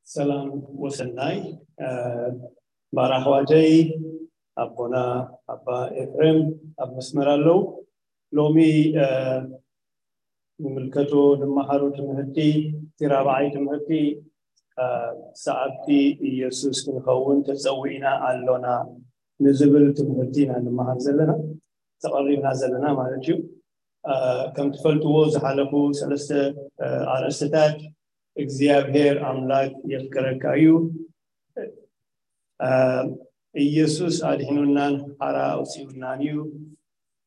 ሰላም ወሰናይ። ባር ኣሕዋተይ፣ ኣቦና ኣባ ኤፍሬም ኣብ መስመር ኣለዉ። ሎሚ ንምልከቶ፣ ንመሃሮ ትምህርቲ፣ እቲ ራብዓይ ትምህርቲ፣ ሰዓብቲ ኢየሱስ ክንኸውን ተጸዊዕና ኣሎና ንዝብል ትምህርቲ ኢና ንመሃር ዘለና፣ ተቐሪብና ዘለና ማለት እዩ። ከም ትፈልጥዎ፣ ዝሓለፉ ሰለስተ ኣርእስትታት እግዚኣብሔር ኣምላክ የፍቅረካ እዩ፣ ኢየሱስ ኣድሒኑናን ሓራ ኣውፂኡናን እዩ፣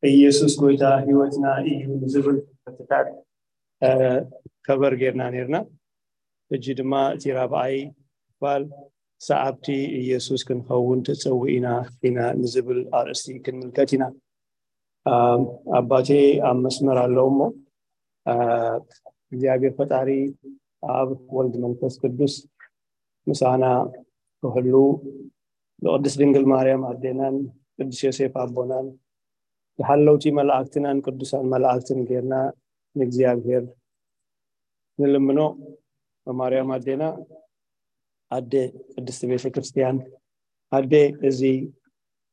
ኢየሱስ ጎይታ ህይወትና እዩ ዝብል ትምህርትታት ከበር ጌርና ኔርና። ሕጂ ድማ እቲ ራብዓይ ክፋል፣ ሰዓብቲ ኢየሱስ ክንኸውን ተጸዊዕና ኢና ንዝብል ኣርእስቲ ክንምልከት ኢና። ኣባቴ ኣብ መስመር ኣለዉ እሞ፣ እግዚኣብሔር ፈጣሪ፣ ኣብ ወልድ መንፈስ ቅዱስ ምሳና ክህሉ፣ ንቅድስት ድንግል ማርያም ኣዴናን ቅዱስ ዮሴፍ ኣቦናን፣ ዝሓለውቲ መላእክትናን ቅዱሳን መላእክትን ጌርና ንእግዚኣብሔር ንልምኖ። ማርያም ኣዴና፣ ኣደ ቅድስቲ ቤተ ክርስቲያን፣ ኣደ እዚ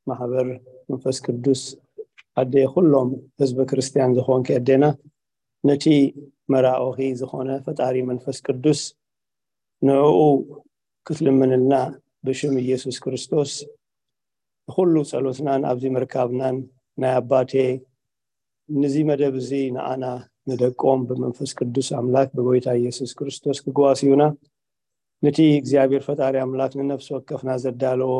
ማሕበር መንፈስ ቅዱስ፣ ኣደ ኩሎም ህዝበ ክርስቲያን ዝኾንኪ ኣዴና፣ ነቲ መራኦኺ ዝኾነ ፈጣሪ መንፈስ ቅዱስ ንዕኡ ክትልምንልና ብሽም ኢየሱስ ክርስቶስ፣ ንኹሉ ጸሎትናን ኣብዚ ምርካብናን ናይ ኣባቴ፣ ንዚ መደብ እዚ ንዓና ንደቆም ብመንፈስ ቅዱስ ኣምላክ ብጎይታ ኢየሱስ ክርስቶስ ክጓስዩና፣ ነቲ እግዚኣብሔር ፈጣሪ ኣምላክ ንነፍሲ ወከፍና ዘዳለዎ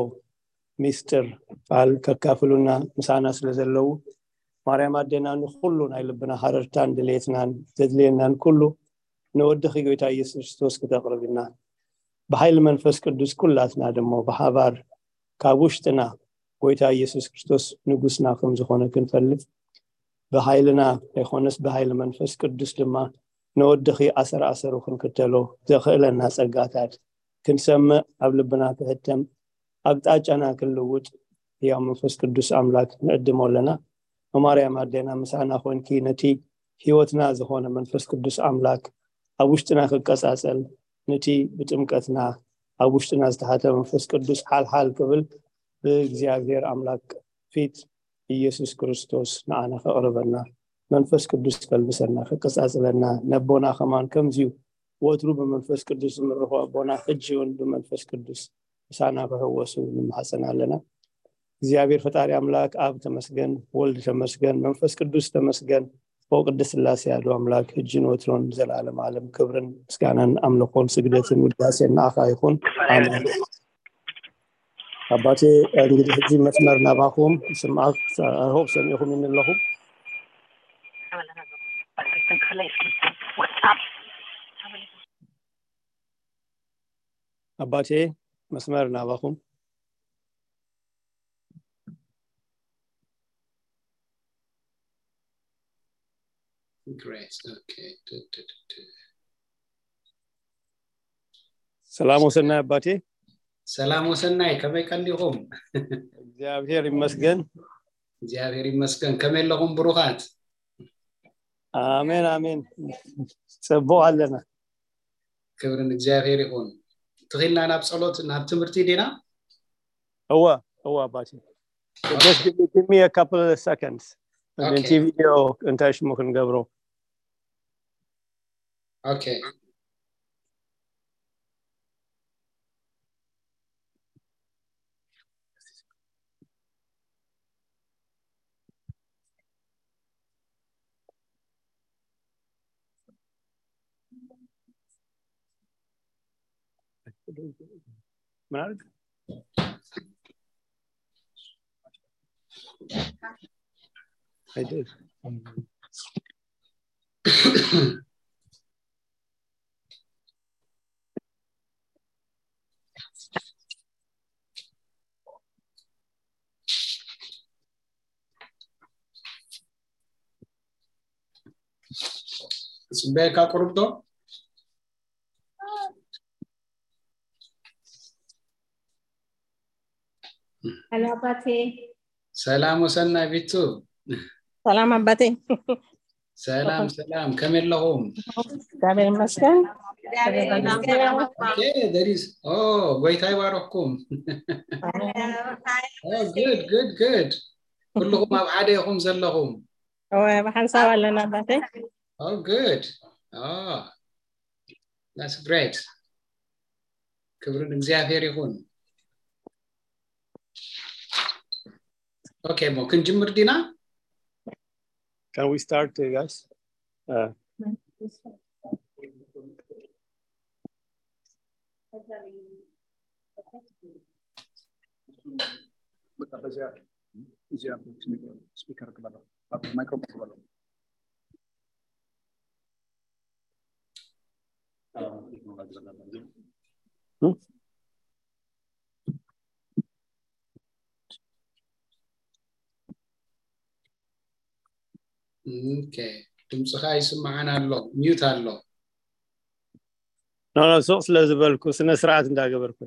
ሚስጥር ቃል ከካፍሉና ምሳና ስለ ዘለዉ፣ ማርያም ኣዴና ንኹሉ ናይ ልብና ሃረርታን ድሌትናን ዘድልየናን ኩሉ ንወድኺ ጎይታ ኢየሱስ ክርስቶስ ክተቕርብልና። ብሓይሊ መንፈስ ቅዱስ ኩላትና ድማ ብሓባር ካብ ውሽጥና ጎይታ ኢየሱስ ክርስቶስ ንጉስና ከም ዝኾነ ክንፈልጥ ብሓይልና ኣይኮነስ ብሓይሊ መንፈስ ቅዱስ ድማ ንወድኺ ኣሰር ኣሰሩ ክንክተሎ ዘኽእለና ጸጋታት ክንሰምዕ ኣብ ልብና ክሕተም ኣቅጣጫና ክንልውጥ ያው መንፈስ ቅዱስ ኣምላክ ንዕድሞ ኣለና። ማርያም ኣዴና ምሳና ኮንኪ ነቲ ህይወትና ዝኾነ መንፈስ ቅዱስ ኣምላክ ኣብ ውሽጥና ክቀጻጸል ነቲ ብጥምቀትና ኣብ ውሽጥና ዝተሓተ መንፈስ ቅዱስ ሓልሓል ክብል ብእግዚኣብሔር ኣምላክ ፊት ኢየሱስ ክርስቶስ ንዓና ከቕርበና መንፈስ ቅዱስ ከልብሰና ከቀጻጽለና ነቦና ከማን ከምዚዩ ወትሩ ብመንፈስ ቅዱስ ዝምርኾ ኣቦና ሕጂ እውን ብመንፈስ ቅዱስ ምሳና ክሕወሱ ንማሕጸን ኣለና። እግዚኣብሔር ፈጣሪ ኣምላክ ኣብ ተመስገን፣ ወልድ ተመስገን፣ መንፈስ ቅዱስ ተመስገን። ኦ ቅድስት ስላሴ ኣዶ ኣምላክ ሕጂ ንወትሮን ዘላለም ዓለም ክብርን ምስጋናን ኣምልኾን ስግደትን ውዳሴን ንዓኻ ይኹን። ኣሜን። ኣባቴ እንግዲህ ሕጂ መስመር ናባኹም ስምዓት ሆብ ሰሚዕኹም ይንለኹም። ኣባቴ መስመር ናባኹም። Great. Okay. Du, du, du, du. ሰላም ወሰናይ ኣባቴ። ሰላም ወሰናይ፣ ከመይ ቀኒኹም? እግዚኣብሔር ይመስገን። እግዚኣብሔር ይመስገን። ከመይ ኣለኹም ብሩኻት? ኣሜን ኣሜን። ጽቡቕ ኣለና። ክብሪ ንእግዚኣብሔር ይኹን። ትኺልና ናብ ጸሎት ናብ ትምህርቲ ዲና? እወ እወ ኣባቴ። Just give me, give me a couple of seconds. Okay. እቲ ቪድዮ እንታይ ሽሙ ክንገብሮ? Okay. ምን አድርግ? I did. ጽበካ ቁርብቶ። ሄሎ ኣባቴ። ሰላም ወሰናይ ቢቱ። ሰላም ኣባቴ። ሰላም ሰላም፣ ከመይ ኣለኹም? እግዚኣብሔር ይመስገን። Okay, there is. Oh, ጎይታ ይባረኽኩም። Oh, good, good, good. ኩልኹም ኣብ ሓደ ኢኹም ዘለኹም። እወ፣ ብሓንሳብ ኣለና ኣባቴ። Oh, good. Oh, that's great. ክብሪ ንእግዚኣብሔር ይኹን። Okay፣ እሞ ክንጅምር ዲና? Can we start, uh, guys? Uh, በቃ በዚያ፣ እዚያ ስፒከር ግበረው፣ ማይክሮፎን ግበረው። Okay፣ ድምፅኻ ይስማዓን ኣሎ፣ ሚዩት ኣሎ። ኖ ኖ፣ ሱቕ ስለ ዝበልኩ ስነ ስርዓት እንዳገበርኩ።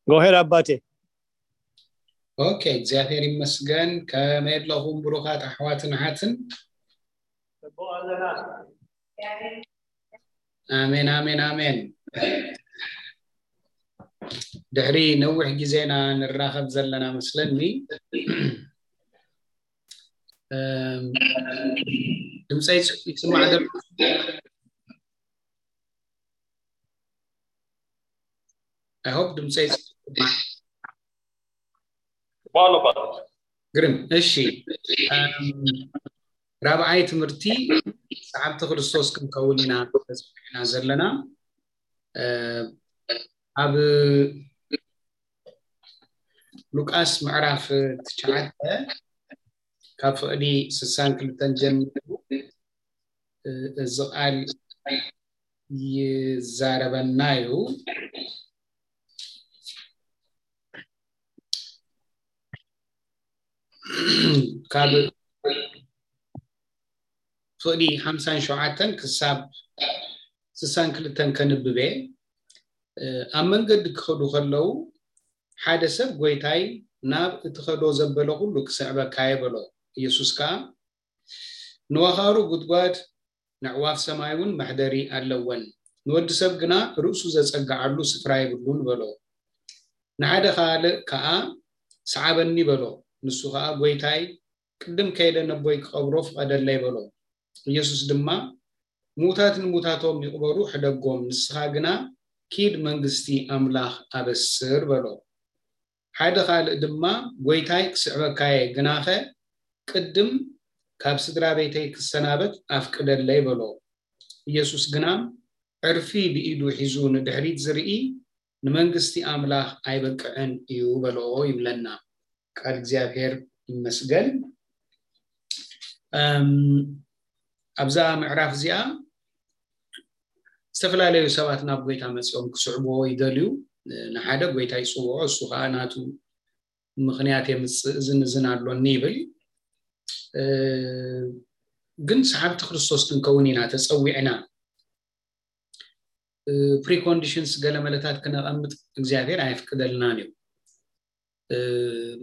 ጎሄድ ኣባቴ። Okay፣ እግዚኣብሔር ይመስገን። ከመይ ኣለኹም ብሩኻት ኣሕዋትን ኣሓትን? ኣሜን ኣሜን ኣሜን። ድሕሪ ነዊሕ ግዜና ንራኸብ ዘለና መስለኒ። እም፣ ድምፀይ ይስ- ይስማዕ ዘሎ? I hope ድምፀይ ይስማዕ። ባሎ ባሎ። ግርም። እሺ፣ እም፣ ራብዓይ ትምህርቲ ሰዓብቲ ክርስቶስ ክንከውን ኢና ተፀዊዕና ዘለና። እ፣ ኣብ ሉቃስ ምዕራፍ ትሽዓተ ካብ ፍቕዲ ስሳን ክልተን ጀሚሩ፣ እ፣ እዚ ቃል ይዛረበና እዩ። ካብ ፍቕዲ ሓምሳን ሸውዓተን ክሳብ ስሳን ክልተን ከንብብ እየ። እ፣ ኣብ መንገዲ ክኸዱ ከለዉ ሓደ ሰብ፣ "ጎይታይ፣ ናብ እትኸዶ ዘበለ ኩሉ ክስዕበካ እየ" በሎ። ኢየሱስ ከኣ፣ "ንወኻሩ ጉድጓድ፣ ነዕዋፍ ሰማይ እውን መሕደሪ ኣለወን፣ ንወዲ ሰብ ግና ርእሱ ዘጸግዓሉ ስፍራ የብሉን" በሎ። ንሓደ ካልእ ከኣ፣ "ሰዓበኒ" በሎ። ንሱ ከኣ፣ "ጎይታይ፣ ቅድም ከይደ ነቦይ ክቐብሮ ፍቐደለይ" በሎ። ኢየሱስ ድማ፣ "ምዉታት ንምዉታቶም ይቕበሩ፣ ሕደጎም፣ ንስኻ ግና ኪድ መንግስቲ ኣምላኽ ኣበስር" በሎ። ሓደ ካልእ ድማ፣ "ጎይታይ፣ ክስዕበካ እየ፣ ግናኸ ቅድም ካብ ስድራ ቤተይ ክሰናበት ኣፍቅደለይ" በሎ። ኢየሱስ ግና፣ "ዕርፊ ብኢዱ ሒዙ ንድሕሪት ዝርኢ ንመንግስቲ ኣምላኽ ኣይበቅዕን እዩ" በሎ ይብለና። ቃል እግዚኣብሔር ይመስገን። እም፣ ኣብዛ ምዕራፍ እዚኣ ዝተፈላለዩ ሰባት ናብ ጎይታ መጺኦም ክስዕብዎ ይደልዩ። ንሓደ ጎይታ ይጽውዖ፣ እሱ ኸዓ ናቱ ምኽንያት የምጽእ፣ እዝን እዝን ኣሎኒ ይብል። እ፣ ግን ሰዓብቲ ክርስቶስ ክንከውን ኢና ተጸዊዕና። እ፣ ፕሪኮንዲሽንስ ገለ መለታት ክነቐምጥ እግዚኣብሔር ኣየፍቅደልናን እዩ። እ፣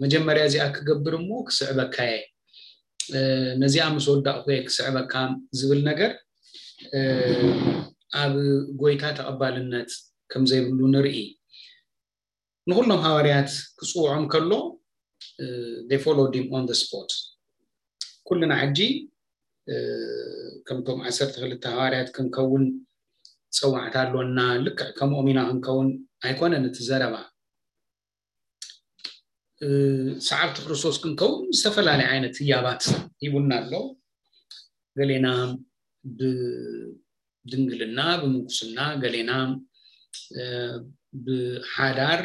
መጀመርያ እዚኣ ክገብር እሞ ክስዕበካ እየ፣ እ፣ ነዚኣ ምስ ወዳእኩ እየ ክስዕበካ ዝብል ነገር፣ እ፣ ኣብ ጎይታ ተቐባልነት ከም ዘይብሉ ንርኢ። ንኹሎም ሃዋርያት ክጽውዖም ከሎ፣ እ፣ they followed him on the spot። ኩልና ሕጂ፣ እ፣ ከምቶም ዓሰርተ ክልተ ሃዋርያት ክንከውን ጸዋዕታ ኣሎና፣ ልክዕ ከምኦም ኢና ክንከውን ኣይኮነን እቲ ዘረባ። እ፣ ሰዓብቲ ክርስቶስ ክንከውን ዝተፈላለየ ዓይነት ህያባት ሂቡና ኣሎ። ገሌና ብድንግልና፣ ብምንኩስና፣ ገሌና፣ እ፣ ብሓዳር፣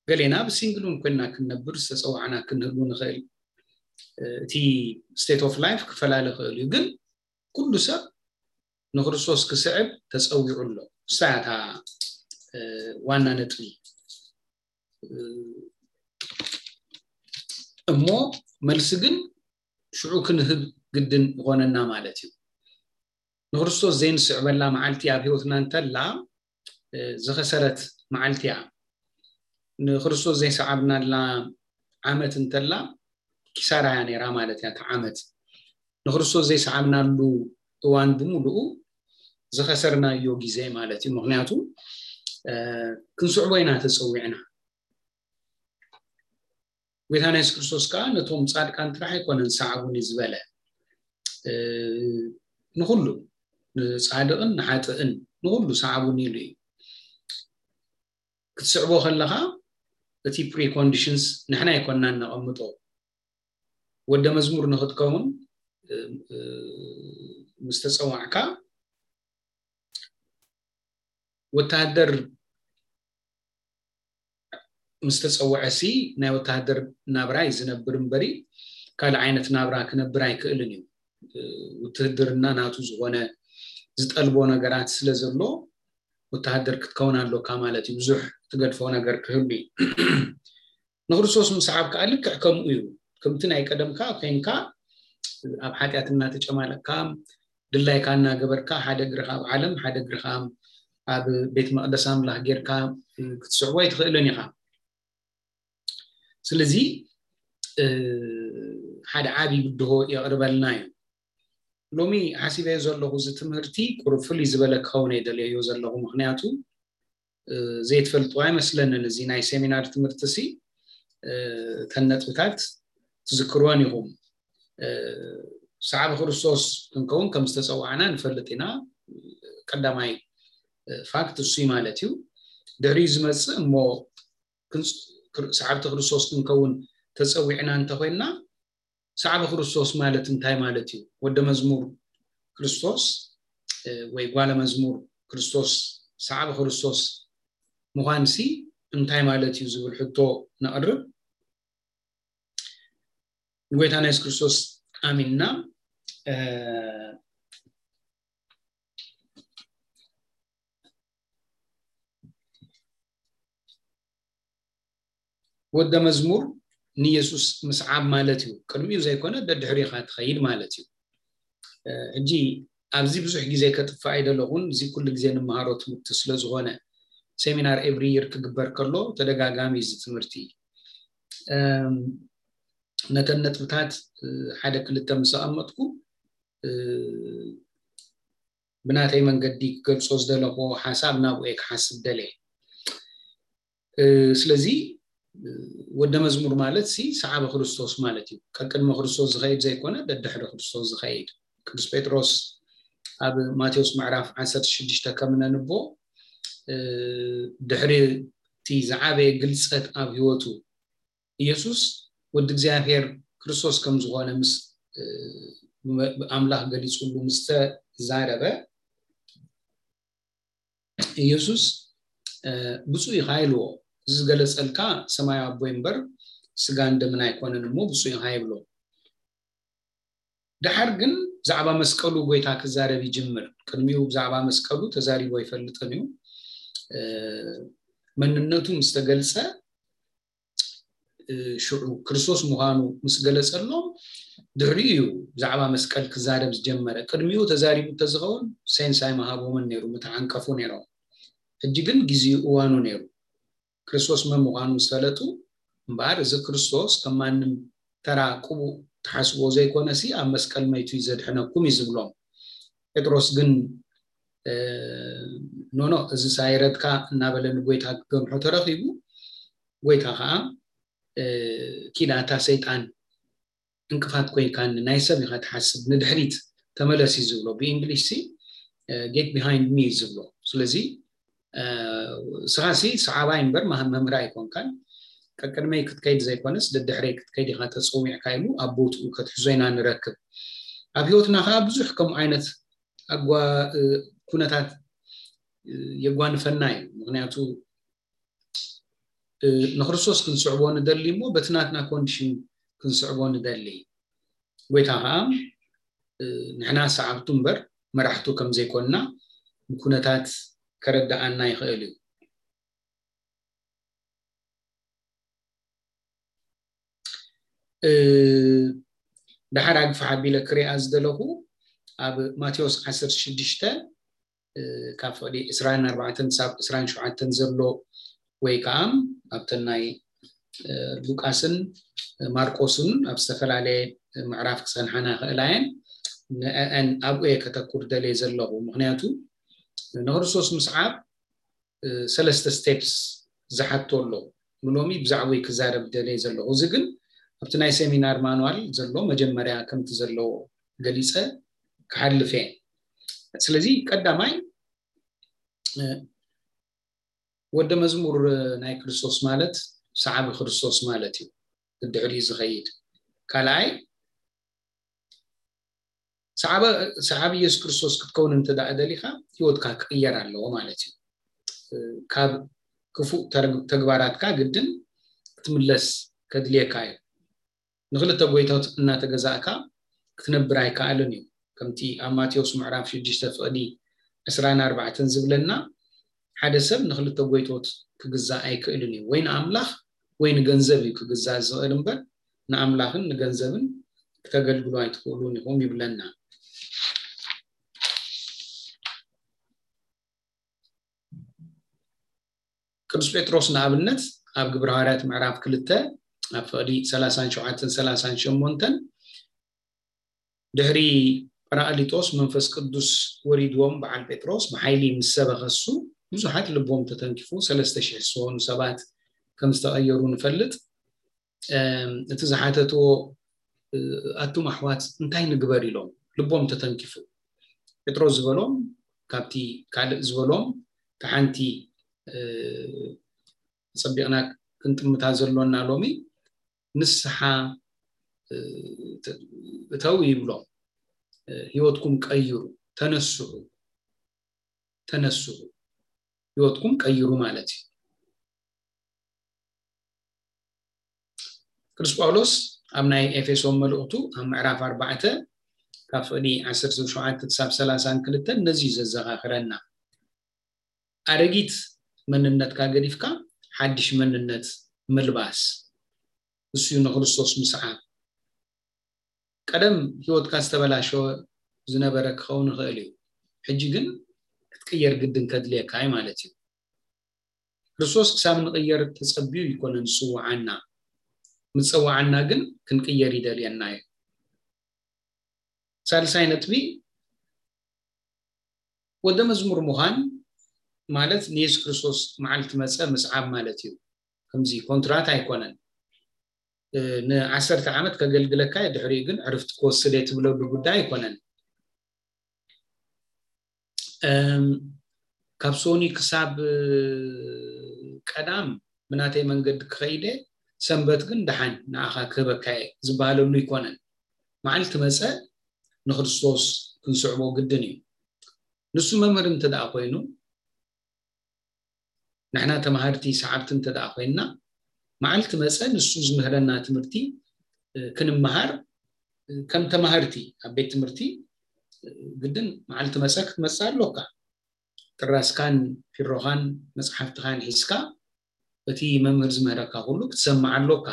ገሌና ብሲንግል እውን ኮይንና ክንነብር ዝተጸዋዕና ክንህሉ ንኽእል። እ፣ እቲ ስቴት ኦፍ ላይፍ ክፈላለ ይኽእል እዩ፣ ግን ኩሉ ሰብ ንክርስቶስ ክስዕብ ተጸዊዑ ኣሎ። እሳ እያ እታ፣ እ፣ ዋና ነጥቢ። እ፣ እሞ መልሲ ግን ሽዑ ክንህብ ግድን ይኾነና ማለት እዩ። ንክርስቶስ ዘይንስዕበላ መዓልቲ ኣብ ህይወትና እንተላ፣ እ፣ ዝኸሰረት መዓልቲ እያ። ንክርስቶስ ዘይሰዓብናላ ዓመት እንተላ ኪሳራ እያ ነይራ ማለት እያ። እታ ዓመት ንክርስቶስ ዘይሰዓብናሉ እዋን ብምሉኡ ዝኸሰርናዮ ግዜ ማለት እዩ። ምክንያቱ፣ እ፣ ክንስዕቦ ኢና ተጸዊዕና። ጎይታና የሱስ ክርስቶስ ከኣ ነቶም ጻድቃን ጥራሕ ኣይኮነን ሰዓቡኒ ዝበለ፣ እ፣ ንኹሉ፣ ንጻድቕን ንሓጥእን ንኹሉ ሰዓቡኒ ኢሉ እዩ። ክትስዕቦ ከለኻ እቲ ፕሪኮንዲሽንስ ንሕና ኣይኮንናን ነቐምጦ። ወደ መዝሙር ንኽትከውን፣ እ፣ እ፣ ምስ ተጸዋዕካ ወተሃደር ምስ ተጸውዐ ሲ ናይ ወተሃደር ናብራ እዩ ዝነብር እምበሪ ካልእ ዓይነት ናብራ ክነብር ኣይክእልን እዩ። እ፣ ውትህድርና ናቱ ዝኾነ ዝጠልቦ ነገራት ስለ ዘሎ ወተሃደር ክትከውን ኣሎካ ማለት እዩ። ብዙሕ ትገድፎ ነገር ክህሉ እዩ። ንክርስቶስ ምስዓብ ከኣ ልክዕ ከምኡ እዩ። ከምቲ ናይ ቀደምካ ኮይንካ ኣብ ሓጢኣት እናተጨማለቕካ ድላይካ እናገበርካ ሓደ እግርኻ ኣብ ዓለም ሓደ እግርኻ ኣብ ቤት መቕደስ ኣምላኽ ጌርካ ክትስዕቦ ኣይትኽእልን ኢኻ። ስለዚ፣ እ፣ ሓደ ዓቢ ብድሆ የቕርበልና እዩ። ሎሚ ሓሲበዮ ዘለኹ እዚ ትምህርቲ ቁሩብ ፍልይ ዝበለ ክኸውን እየ ደልየዮ ዘለኹ። ምኽንያቱ ዘይትፈልጥዋ ኣይመስለንን። እዚ ናይ ሴሚናር ትምህርቲ ሲ ተን ነጥብታት ትዝክርወን ኢኹም። ሰዓብ ክርስቶስ ክንከውን ከም ዝተፀዋዕና ንፈልጥ ኢና። ቀዳማይ ፋክት እሱ ማለት እዩ። ድሕሪኡ ዝመፅእ እሞ ሰዓብቲ ክርስቶስ ክንከውን ተፀዊዕና እንተኮይንና፣ ሰዓቢ ክርስቶስ ማለት እንታይ ማለት እዩ? ወደ መዝሙር ክርስቶስ ወይ ጓለ መዝሙር ክርስቶስ፣ ሰዓቢ ክርስቶስ ምዃንሲ እንታይ ማለት እዩ ዝብል ሕቶ ነቕርብ። ንጎይታና የሱስ ክርስቶስ ኣሚንና ወደ መዝሙር ንየሱስ ምስዓብ ማለት እዩ። ቅድሚኡ ዘይኮነ ደድሕሪኻ ትኸይድ ማለት እዩ። ሕጂ ኣብዚ ብዙሕ ግዜ ከጥፋእ ኣይደለኹን። እዚ ኩሉ ግዜ ንመሃሮ ትምህርቲ ስለዝኾነ ሴሚናር ኤቭሪ ይር ክግበር ከሎ ተደጋጋሚ እዚ ትምህርቲ ነተን ነጥብታት ሓደ ክልተ ምስ ኣቐመጥኩ ብናተይ መንገዲ ክገልጾ ዝደለኹ ሓሳብ ናብኡ እየ ክሓስብ ደልየ። ስለዚ ወደ መዝሙር ማለት ሲ ሰዓቢ ክርስቶስ ማለት እዩ። ቀቅድሚ ክርስቶስ ዝኸይድ ዘይኮነ ደድሕሪ ክርስቶስ ዝኸይድ። ቅዱስ ጴጥሮስ ኣብ ማቴዎስ ምዕራፍ ዓሰርተ ሽዱሽተ ከም ነንቦ ድሕሪ እቲ ዝዓበየ ግልጸት ኣብ ህይወቱ ኢየሱስ ወዲ እግዚኣብሔር ክርስቶስ ከም ዝኾነ ምስ ኣምላኽ ገሊጹሉ ምስ ተዛረበ ኢየሱስ ብፁዕ ኢኻ ኢልዎ። እዚ ዝገለጸልካ ሰማያዊ ኣቦይ እምበር ስጋን ደምን ኣይኮነን እሞ ብፁዕ ኢኻ ይብሎ። ደሓር ግን ብዛዕባ መስቀሉ ጎይታ ክዛረብ ይጅምር። ቅድሚኡ ብዛዕባ መስቀሉ ተዛሪቦ ኣይፈልጥን እዩ። መንነቱ ምስ ተገልጸ ሽዑ ክርስቶስ ምዃኑ ምስ ገለጸሎም ድሕሪኡ እዩ ብዛዕባ መስቀል ክዛረብ ዝጀመረ። ቅድሚኡ ተዛሪቡ እንተዝኸውን ሴንስ ኣይምሃቦምን ነይሩ፣ ምተዓንቀፉ ነይሮም። ሕጂ ግን ግዜኡ እዋኑ ነይሩ። ክርስቶስ መን ምዃኑ ምስ ፈለጡ እምበኣር እዚ ክርስቶስ ከም ማንም ተራ ቅቡእ ትሓስብዎ ዘይኮነሲ ኣብ መስቀል መይቱ እዩ ዘድሕነኩም እዩ ዝብሎም። ጴጥሮስ ግን ኖኖ እዚ ሳይረድካ እናበለ ንጎይታ ክገምሖ ተረኺቡ ጎይታ ከዓ ኪድ ኣታ ሰይጣን እንቅፋት ኮይንካኒ ናይ ሰብ ኢኻ ትሓስብ ንድሕሪት ተመለስ እዩ ዝብሎ ብእንግሊሽ ሲ get behind me እዩ ዝብሎ። ስለዚ ስኻ ሲ ሰዓባይ እምበር መምህር ኣይኮንካን ቀቅድመይ ክትከይድ ዘይኮነስ ደድሕረይ ክትከይድ ኢኻ ተፀዊዕካ ኢሉ ኣብ ቦትኡ ከትሕዞ ኢና ንረክብ። ኣብ ህይወትና ከዓ ብዙሕ ከምኡ ዓይነት ኩነታት የጓንፈና እዩ። ምክንያቱ ንክርስቶስ ክንስዕቦ ንደሊ እሞ በቲ ናትና ኮንዲሽን ክንስዕቦ ንደሊ። ጎይታ ከዓ ንሕና ሰዓብቱ እምበር መራሕቱ ከም ዘይኮንና ብኩነታት ከረድኣና ይኽእል እዩ። ደሓር ኣግፋሕ ኣቢለ ክሪኣ ዝደለኹ ኣብ ማቴዎስ ዓሰርተ ሽዱሽተ ካብ ፍቕዲ ዕስራን ኣርባዕተን ክሳብ ዕስራን ሸውዓተን ዘሎ ወይ ከዓ ኣብተን ናይ ሉቃስን ማርቆስን ኣብ ዝተፈላለየ ምዕራፍ ክፀንሓና ይኽእላ እየን። ንአን ኣብኡ እየ ከተኩር ደልየ ዘለኹ። ምክንያቱ ንክርስቶስ ምስዓብ ሰለስተ ስቴፕስ ዝሓቶ ኣሎ። ንሎሚ ብዛዕባኡ ክዛረብ ደልየ ዘለኹ። እዚ ግን ኣብቲ ናይ ሴሚናር ማኑዋል ዘሎ መጀመርያ ከምቲ ዘለዎ ገሊፀ ክሓልፍ እየ። ስለዚ ቀዳማይ ወደ መዝሙር ናይ ክርስቶስ ማለት ሰዓቢ ክርስቶስ ማለት እዩ። ድሕሪኡ ዝኸይድ ካልኣይ ሰዓቢ ኢየሱስ ክርስቶስ ክትከውን እንተ ደኣ ደሊኻ ህይወትካ ክቕየር ኣለዎ ማለት እዩ። ካብ ክፉእ ተግባራትካ ግድን ክትምለስ ከድልየካ እዩ። ንክልተ ጎይቶት እናተገዛእካ ክትነብር ኣይከኣልን እዩ። ከምቲ ኣብ ማቴዎስ ምዕራፍ ሽዱሽተ ፍቕዲ ዕስራን ኣርባዕተን ዝብለና ሓደ ሰብ ንክልተ ጎይቶት ክግዛእ ኣይክእልን እዩ። ወይ ንኣምላኽ ወይ ንገንዘብ እዩ ክግዛእ ዝኽእል እምበር ንኣምላኽን ንገንዘብን ክተገልግሉ ኣይትኽእሉን ኢኹም ይብለና። ቅዱስ ጴጥሮስ ንኣብነት ኣብ ግብረ ሃዋርያት ምዕራፍ ክልተ ኣብ ፍቕዲ ሰላሳን ሸውዓተን ሰላሳን ሸሞንተን ድሕሪ ጳራቅሊጦስ መንፈስ ቅዱስ ወሪድዎም በዓል ጴጥሮስ ብሓይሊ ምስ ሰበኸ እሱ ብዙሓት ልቦም ተተንኪፉ ሰለስተ ሽሕ ዝኾኑ ሰባት ከም ዝተቐየሩ ንፈልጥ። እቲ ዝሓተትዎ ኣቱም ኣሕዋት እንታይ ንግበር ኢሎም ልቦም ተተንኪፉ። ጴጥሮስ ዝበሎም ካብቲ ካልእ ዝበሎም ተሓንቲ ጸቢቕና ክንጥምታ ዘሎና ሎሚ ንስሓ እተው ይብሎም። ህይወትኩም ቀይሩ፣ ተነስሑ፣ ተነስሑ፣ ህይወትኩም ቀይሩ ማለት እዩ። ቅዱስ ጳውሎስ ኣብ ናይ ኤፌሶን መልእኽቱ ኣብ ምዕራፍ ኣርባዕተ ካብ ፍቕዲ ዓሰርተ ሸውዓተ ክሳብ ሰላሳን ክልተን ነዚ እዩ ዘዘኻኽረና። ኣረጊት መንነትካ ገዲፍካ ሓድሽ መንነት ምልባስ፣ እሱ እዩ ንክርስቶስ ምስዓብ። ቀደም ህይወትካ ዝተበላሸወ ዝነበረ ክኸውን ይኽእል እዩ። ሕጂ ግን ክትቅየር ግድን ከድልየካ እዩ ማለት እዩ። ክርስቶስ ክሳብ ንቅየር ተጸቢዩ ይኮነን ዝጽውዓና። ምጸዋዓና ግን ክንቅየር ይደልየና እዩ። ሳልሳይ ነጥቢ፣ ወደ መዝሙር ምዃን ማለት ንየሱስ ክርስቶስ መዓልቲ መጸ ምስዓብ ማለት እዩ። ከምዚ ኮንትራት ኣይኮነን። ንዓሰርተ ዓመት ከገልግለካ ድሕሪኡ ግን ዕርፍቲ ክወስድ እየ ትብለሉ ጉዳይ ኣይኮነን። ካብ ሶኒ ክሳብ ቀዳም ብናተይ መንገዲ ክኸይደ፣ ሰንበት ግን ደሓን ንዓኻ ክህበካ እየ ዝበሃለሉ ኣይኮነን። መዓልቲ መጸ ንክርስቶስ ክንስዕቦ ግድን እዩ። ንሱ መምህር እንተ ደኣ ኮይኑ፣ ንሕና ተማሃርቲ ሰዓብቲ እንተ ደኣ ኮይንና፣ መዓልቲ መጸ ንሱ ዝምህረና ትምህርቲ ክንመሃር፣ ከም ተማሃርቲ ኣብ ቤት ትምህርቲ ግድን መዓልቲ መጸ ክትመጽእ ኣሎካ። ጥራስካን ፊሮኻን መጽሓፍትኻን ሒዝካ እቲ መምህር ዝምህረካ ኩሉ ክትሰምዕ ኣሎካ።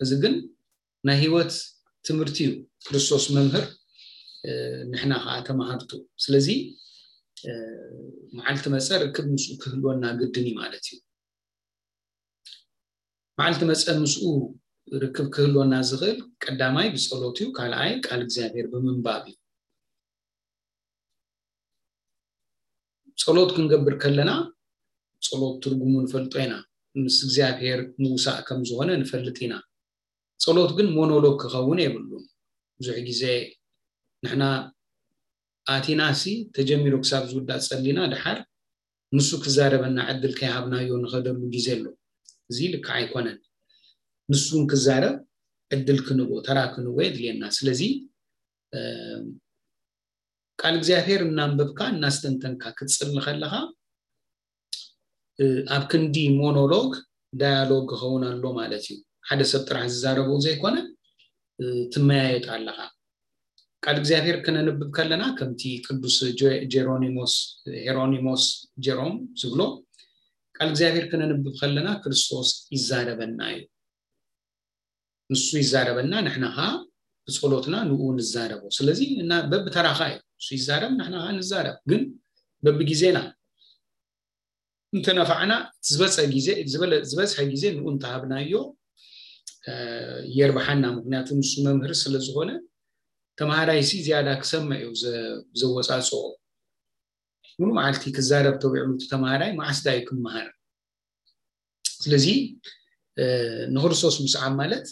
እዚ ግን ናይ ህይወት ትምህርቲ እዩ። ክርስቶስ መምህር፣ ንሕና ከዓ ተማሃርቱ። ስለዚ መዓልቲ መጸ ርክብ ምስኡ ክህልወና ግድን እዩ ማለት እዩ። መዓልቲ መጸ ምስኡ ርክብ ክህልወና ዝኽእል ቀዳማይ ብጸሎት እዩ፣ ካልኣይ ቃል እግዚኣብሔር ብምንባብ እዩ። ጸሎት ክንገብር ከለና ጸሎት ትርጉሙ ንፈልጦ ኢና። ምስ እግዚኣብሔር ምውሳእ ከም ዝኾነ ንፈልጥ ኢና። ጸሎት ግን ሞኖሎግ ክኸውን የብሉን። ብዙሕ ግዜ ንሕና ኣቲናሲ ተጀሚሩ ክሳብ ዝውዳእ ጸሊና ድሓር ንሱ ክዛረበና ዕድል ከይሃብናዮ ንኸደሉ ግዜ ኣሎ። እዚ ልክዕ ኣይኮነን። ንሱን ክዛረብ ዕድል ክንቦ፣ ተራ ክንቦ የድልየና። ስለዚ ቃል እግዚኣብሔር እናንበብካ እናስተንተንካ ክትጽሊ ከለኻ ኣብ ክንዲ ሞኖሎግ ዳያሎግ ክኸውን ኣሎ ማለት እዩ። ሓደ ሰብ ጥራሕ ዝዛረቦ ዘይኮነ ትመያየጥ ኣለኻ። ቃል እግዚኣብሔር ክነንብብ ከለና ከምቲ ቅዱስ ጀሮኒሞስ ሄሮኒሞስ ጀሮም ዝብሎ ቃል እግዚኣብሔር ክነንብብ ከለና ክርስቶስ ይዛረበና እዩ። ንሱ ይዛረበና፣ ንሕና ኸዓ ብጸሎትና ንኡ ንዛረቦ። ስለዚ እና በብተራኻ እዩ። ንሱ ይዛረብ፣ ንሕና ኸዓ ንዛረብ፣ ግን በብግዜና እንተነፋዕና ዝበፀ ግዜ ዝበለ ዝበዝሐ ግዜ ንኡ እንተሃብናዮ የርብሓና። ምክንያቱ ንሱ መምህር ስለ ዝኾነ ተምሃራይሲ ዝያዳ ክሰምዕ እዩ ዘወፃፅኦ። ሙሉ መዓልቲ ክዛረብ ተውዕሉ እቲ ተምሃራይ መዓስ ዳዩ ክመሃር? ስለዚ ንክርስቶስ ምስዓብ ማለት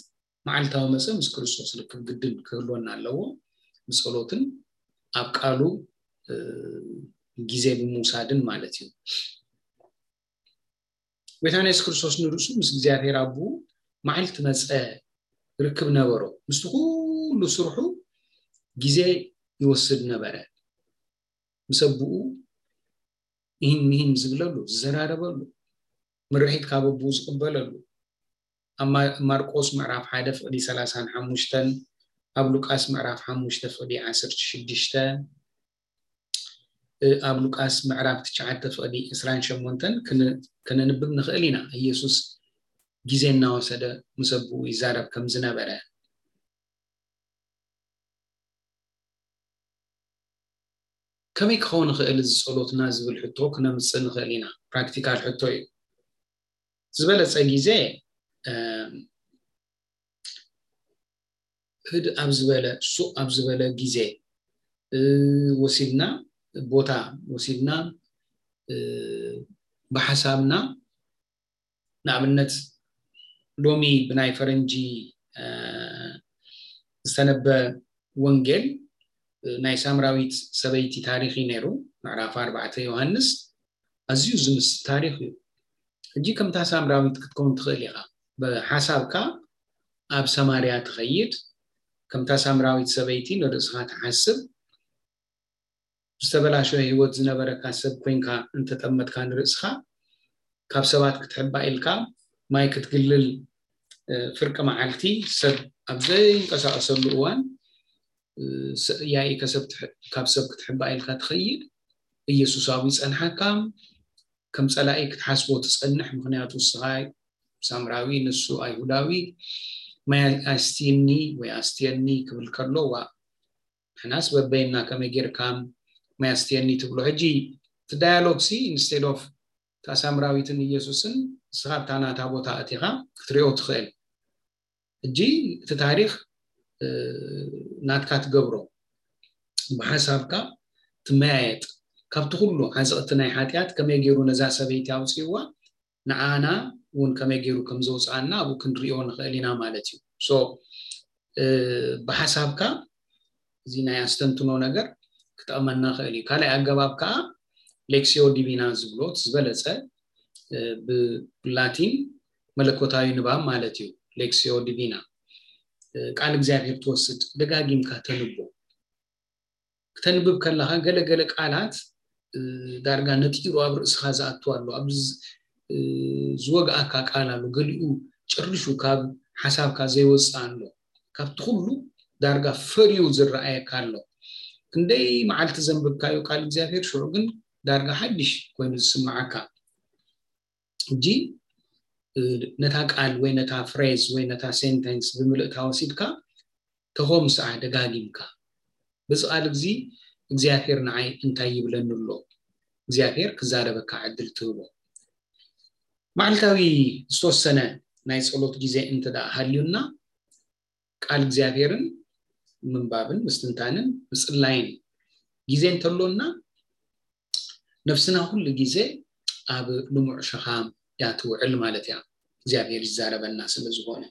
መዓልታዊ መፀ ምስ ክርስቶስ ርክብ ግድን ክህልወና ኣለዎ። ብፀሎትን ኣብ ቃሉ ግዜ ብምውሳድን ማለት እዩ። ጎይታና የሱስ ክርስቶስ ንርእሱ ምስ እግዚኣብሔር ኣቦኡ መዓልቲ መጸ ርክብ ነበሮ። ምስቲ ኩሉ ስርሑ ግዜ ይወስድ ነበረ። ምስ ኣቦኡ ይህን ምሂን ዝብለሉ፣ ዝዘራረበሉ፣ ምርሒት ካብ ኣቦኡ ዝቕበለሉ። ኣብ ማ-፣ ማርቆስ ምዕራፍ ሓደ ፍቕዲ ሰላሳን ሓሙሽተን፣ ኣብ ሉቃስ ምዕራፍ ሓሙሽተ ፍቕዲ ዓሰርተ ሽዱሽተ፣ እ፣ ኣብ ሉቃስ ምዕራፍ ትሽዓተ ፍቕዲ ዕስራን ሸሞንተን ክን-፣ ከነንብብ ንኽእል ኢና። ኢየሱስ ግዜ እናወሰደ ምስ ኣቦኡ ይዛረብ ከም ዝነበረ። ከመይ ክኸውን ይኽእል እዚ ጸሎትና ዝብል ሕቶ ክነምጽእ ንኽእል ኢና። ፕራክቲካል ሕቶ እዩ። ዝበለጸ ግዜ፣ እ፣ ህድእ ኣብ ዝበለ፣ ሱቕ ኣብ ዝበለ ግዜ፣ እ፣ ወሲድና፣ ቦታ ወሲድና፣ እ፣ ብሓሳብና ንኣብነት ሎሚ ብናይ ፈረንጂ ዝተነበ ወንጌል ናይ ሳምራዊት ሰበይቲ ታሪኽ እዩ ነይሩ። ምዕራፍ ኣርባዕተ ዮሃንስ ኣዝዩ ዝምስ ታሪኽ እዩ። ሕጂ ከምታ ሳምራዊት ክትከውን ትኽእል ኢኻ። ብሓሳብካ ኣብ ሰማርያ ትኸይድ፣ ከምታ ሳምራዊት ሰበይቲ ንርእስኻ ትሓስብ፣ ዝተበላሸወ ህይወት ዝነበረካ ሰብ ኮይንካ እንተጠመጥካ ንርእስኻ ካብ ሰባት ክትሕባእ ኢልካ ማይ ክትግልል ፍርቂ መዓልቲ ሰብ ኣብ ዘይንቀሳቀሰሉ እዋን ያኢ ካብ ሰብ ክትሕባእ ኢልካ ትኸይድ። ኢየሱሳዊ ይጸንሓካ፣ ከም ጸላኢ ክትሓስቦ ትጸንሕ። ምክንያቱ ንስኻ ሳምራዊ ንሱ ኣይሁዳዊ። ማይ ኣስትየኒ ወይ ኣስትየኒ ክብል ከሎ ዋ ንሕናስ በበይና ከመይ ጌርካ ማይ ኣስትየኒ ትብሎ። ሕጂ እቲ ዳያሎግ ሲ instead of እታ ሳምራዊትን ኢየሱስን ንስኻ ኣብታ ናታ ቦታ ኣቲኻ ክትሪኦ ትኽእል። ሕጂ እቲ ታሪኽ ናትካ ትገብሮ ብሓሳብካ ትመያየጥ። ካብቲ ኩሉ ዓዘቕቲ ናይ ሓጢኣት ከመይ ገይሩ ነዛ ሰበይቲ ኣውፅእዋ ንዓና እውን ከመይ ገይሩ ከም ዘውፅኣና ኣብኡ ክንሪኦ ንኽእል ኢና ማለት እዩ። ሶ ብሓሳብካ እዚ ናይ ኣስተንትኖ ነገር ክጠቕመና ክእል እዩ። ካልኣይ ኣገባብ ከዓ ሌክሲዮ ዲቪና ዝብሎት ዝበለፀ ብላቲን መለኮታዊ ንባብ ማለት እዩ። ሌክሲዮ ዲቪና ቃል እግዚኣብሔር ትወስድ ደጋጊምካ ተንቦ። ክተንብብ ከለኻ ገለገለ ቃላት ዳርጋ ነጢሩ ኣብ ርእስኻ ዝኣቱ ኣሎ። ኣብ ዝወግኣካ ቃል ኣሎ። ገሊኡ ጭርሹ ካብ ሓሳብካ ዘይወፅእ ኣሎ። ካብቲ ኩሉ ዳርጋ ፈርዩ ዝረኣየካ ኣሎ። ክንደይ መዓልቲ ዘንብብካዮ ቃል እግዚኣብሔር ሽዑ ግን ዳርጋ ሓድሽ ኮይኑ ዝስምዓካ። ሕጂ ነታ ቃል ወይ ነታ ፍሬዝ ወይ ነታ ሴንተንስ ብምልእታ ወሲድካ ተኾምስኣ ደጋጊምካ። በዚ ቃል እዚ እግዚኣብሔር ንዓይ እንታይ ይብለኒ ኣሎ? እግዚኣብሔር ክዛረበካ ዕድል ትህቦ። መዓልታዊ ዝተወሰነ ናይ ጸሎት ግዜ እንተ ደኣ ሃልዩና ቃል እግዚኣብሔርን ምንባብን ምስትንታንን ምጽላይን ግዜ እንተሎና ነፍስና ኩሉ ግዜ ኣብ ልሙዕ ሸኻም እያ ትውዕል ማለት እያ። እግዚኣብሔር ይዛረበና ስለ ዝኾነ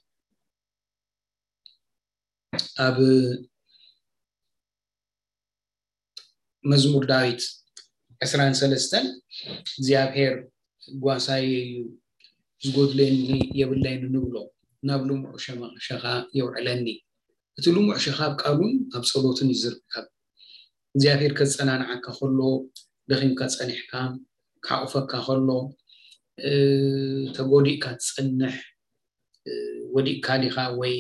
ኣብ መዝሙር ዳዊት ዕስራን ሰለስተን እግዚኣብሔር ጓሳየ እዩ ዝጎድለኒ የብለይን ንብሎ ናብ ልሙዕ ሸኻ የውዕለኒ። እቲ ልሙዕ ሸኻ ኣብ ቃሉን ኣብ ጸሎትን እዩ ዝርከብ። እግዚኣብሔር ከጸናንዓካ ከሎ ደኺምካ ጸኒሕካ ክሓቑፈካ ከሎ ተጎዲእካ ትጸንሕ ወዲእካ ዲኻ ወይ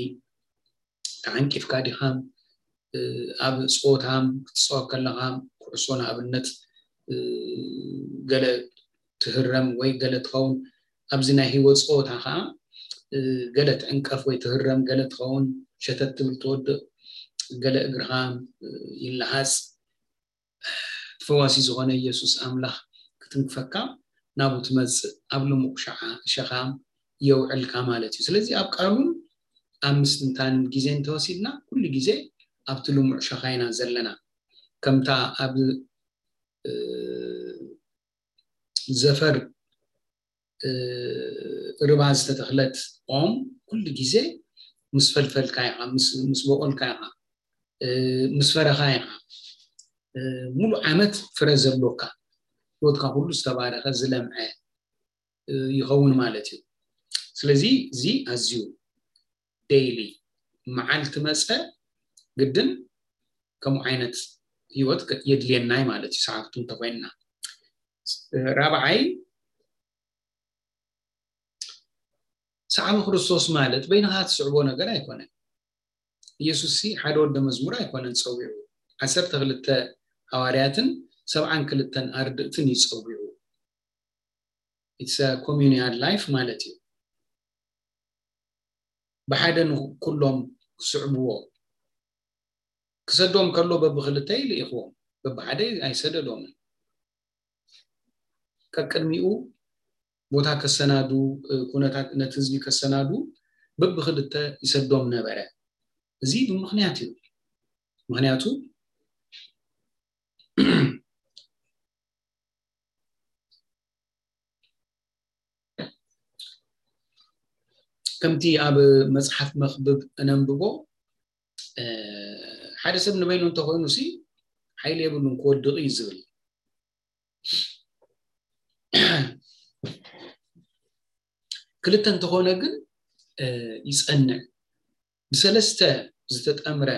ተዓንቂፍካ ዲኻ ኣብ ፆታም ክትፃወት ከለኻ ኩዕሶ ንኣብነት ገለ ትህረም ወይ ገለ ትኸውን ኣብዚ ናይ ህይወት ፀወታ ከዓ ገለ ትዕንቀፍ ወይ ትህረም ገለ ትኸውን ሸተት ትብል ትወድቕ ገለ እግርኻ ይለሃፅ ፈዋሲ ዝኾነ ኢየሱስ ኣምላኽ ክትንክፈካ ናብኡ ትመጽእ ኣብ ልሙዕ ሸኻ ሸኻ የውዕልካ ማለት እዩ ስለዚ ኣብ ቃሉን ኣብ ምስትንታን ግዜ እንተወሲድና ኩሉ ግዜ ኣብቲ ልሙዕ ሸኻ ኢና ዘለና ከምታ ኣብ ዘፈር ርባ ዝተተኽለት ኦም ኩሉ ግዜ ምስ ፈልፈልካ ኢኻ ምስ በቆልካ ኢኻ ምስ ፈረኻ ኢኻ ሙሉ ዓመት ፍረ ዘሎካ ህይወትካ ኩሉ ዝተባረኸ ዝለምዐ ይኸውን ማለት እዩ ስለዚ እዚ ኣዝዩ ዴይሊ መዓልቲ መፀ ግድን ከምኡ ዓይነት ህይወት የድልየናይ ማለት እዩ ሰዓብቱ እንተኮይንና ራብዓይ ሰዓቢ ክርስቶስ ማለት በይንኻ ትስዕቦ ነገር ኣይኮነን ኢየሱስ ሲ ሓደ ወደ መዝሙር ኣይኮነን ፀዊዑ ዓሰርተ ክልተ ሃዋርያትን ሰብዓን ክልተን ኣርድእትን ይፀዊዑ it's communion life ማለት እዩ ብሓደ ንኩሎም ክስዕብዎ ክሰዶም ከሎ በብክልተ ይልኢኽዎም በብሓደ ኣይሰደዶምን ቀቅድሚኡ ቦታ ከሰናዱ ኩነታት ነቲ ህዝቢ ከሰናዱ በብክልተ ይሰዶም ነበረ እዚ ብምክንያት እዩ ምክንያቱ ከምቲ ኣብ መጽሓፍ መኽብብ እነንብቦ ሓደ ሰብ ንበይኑ እንተኾይኑ ሲ ሓይሊ የብሉን ክወድቕ እዩ ዝብል። ክልተ እንተኾነ ግን ይጸንዕ። ብሰለስተ ዝተጠምረ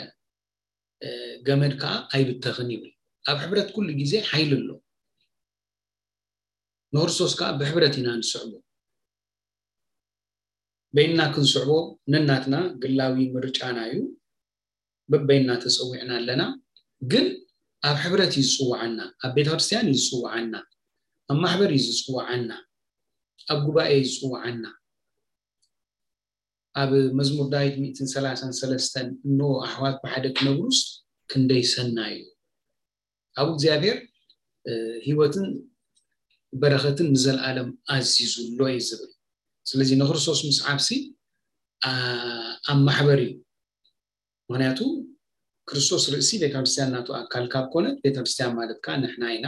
ገመድ ከዓ ኣይብተኽን ይብል። ኣብ ሕብረት ኩሉ ግዜ ሓይሊ ኣሎ። ንክርስቶስ ከዓ ብሕብረት ኢና ንስዕቦ። በይንና ክንስዕቦ ነናትና ግላዊ ምርጫና እዩ። በበይንና ተጸዊዕና ኣለና። ግን ኣብ ሕብረት እዩ ዝጽውዓና። ኣብ ቤተ ክርስቲያን እዩ ዝጽውዓና። ኣብ ማሕበር እዩ ዝጽውዓና። ኣብ ጉባኤ እዩ ዝጽውዓና። ኣብ መዝሙር ዳዊት ሚእትን ሰላሳን ሰለስተን እንሆ ኣሕዋት ብሓደ ክነብሩስ ክንደይ ሰናይ እዩ። ኣብ እግዚኣብሔር ህይወትን በረኸትን ንዘለኣለም ኣዚዙ ኣሎ እዩ ዝብል። ስለዚ ንክርስቶስ ምስዓብሲ ኣብ ማሕበር እዩ። ምክንያቱ ክርስቶስ ርእሲ ቤተክርስትያን ናቱ ኣካል ካብ ኮነት ቤተክርስትያን ማለት ከዓ ንሕና ኢና።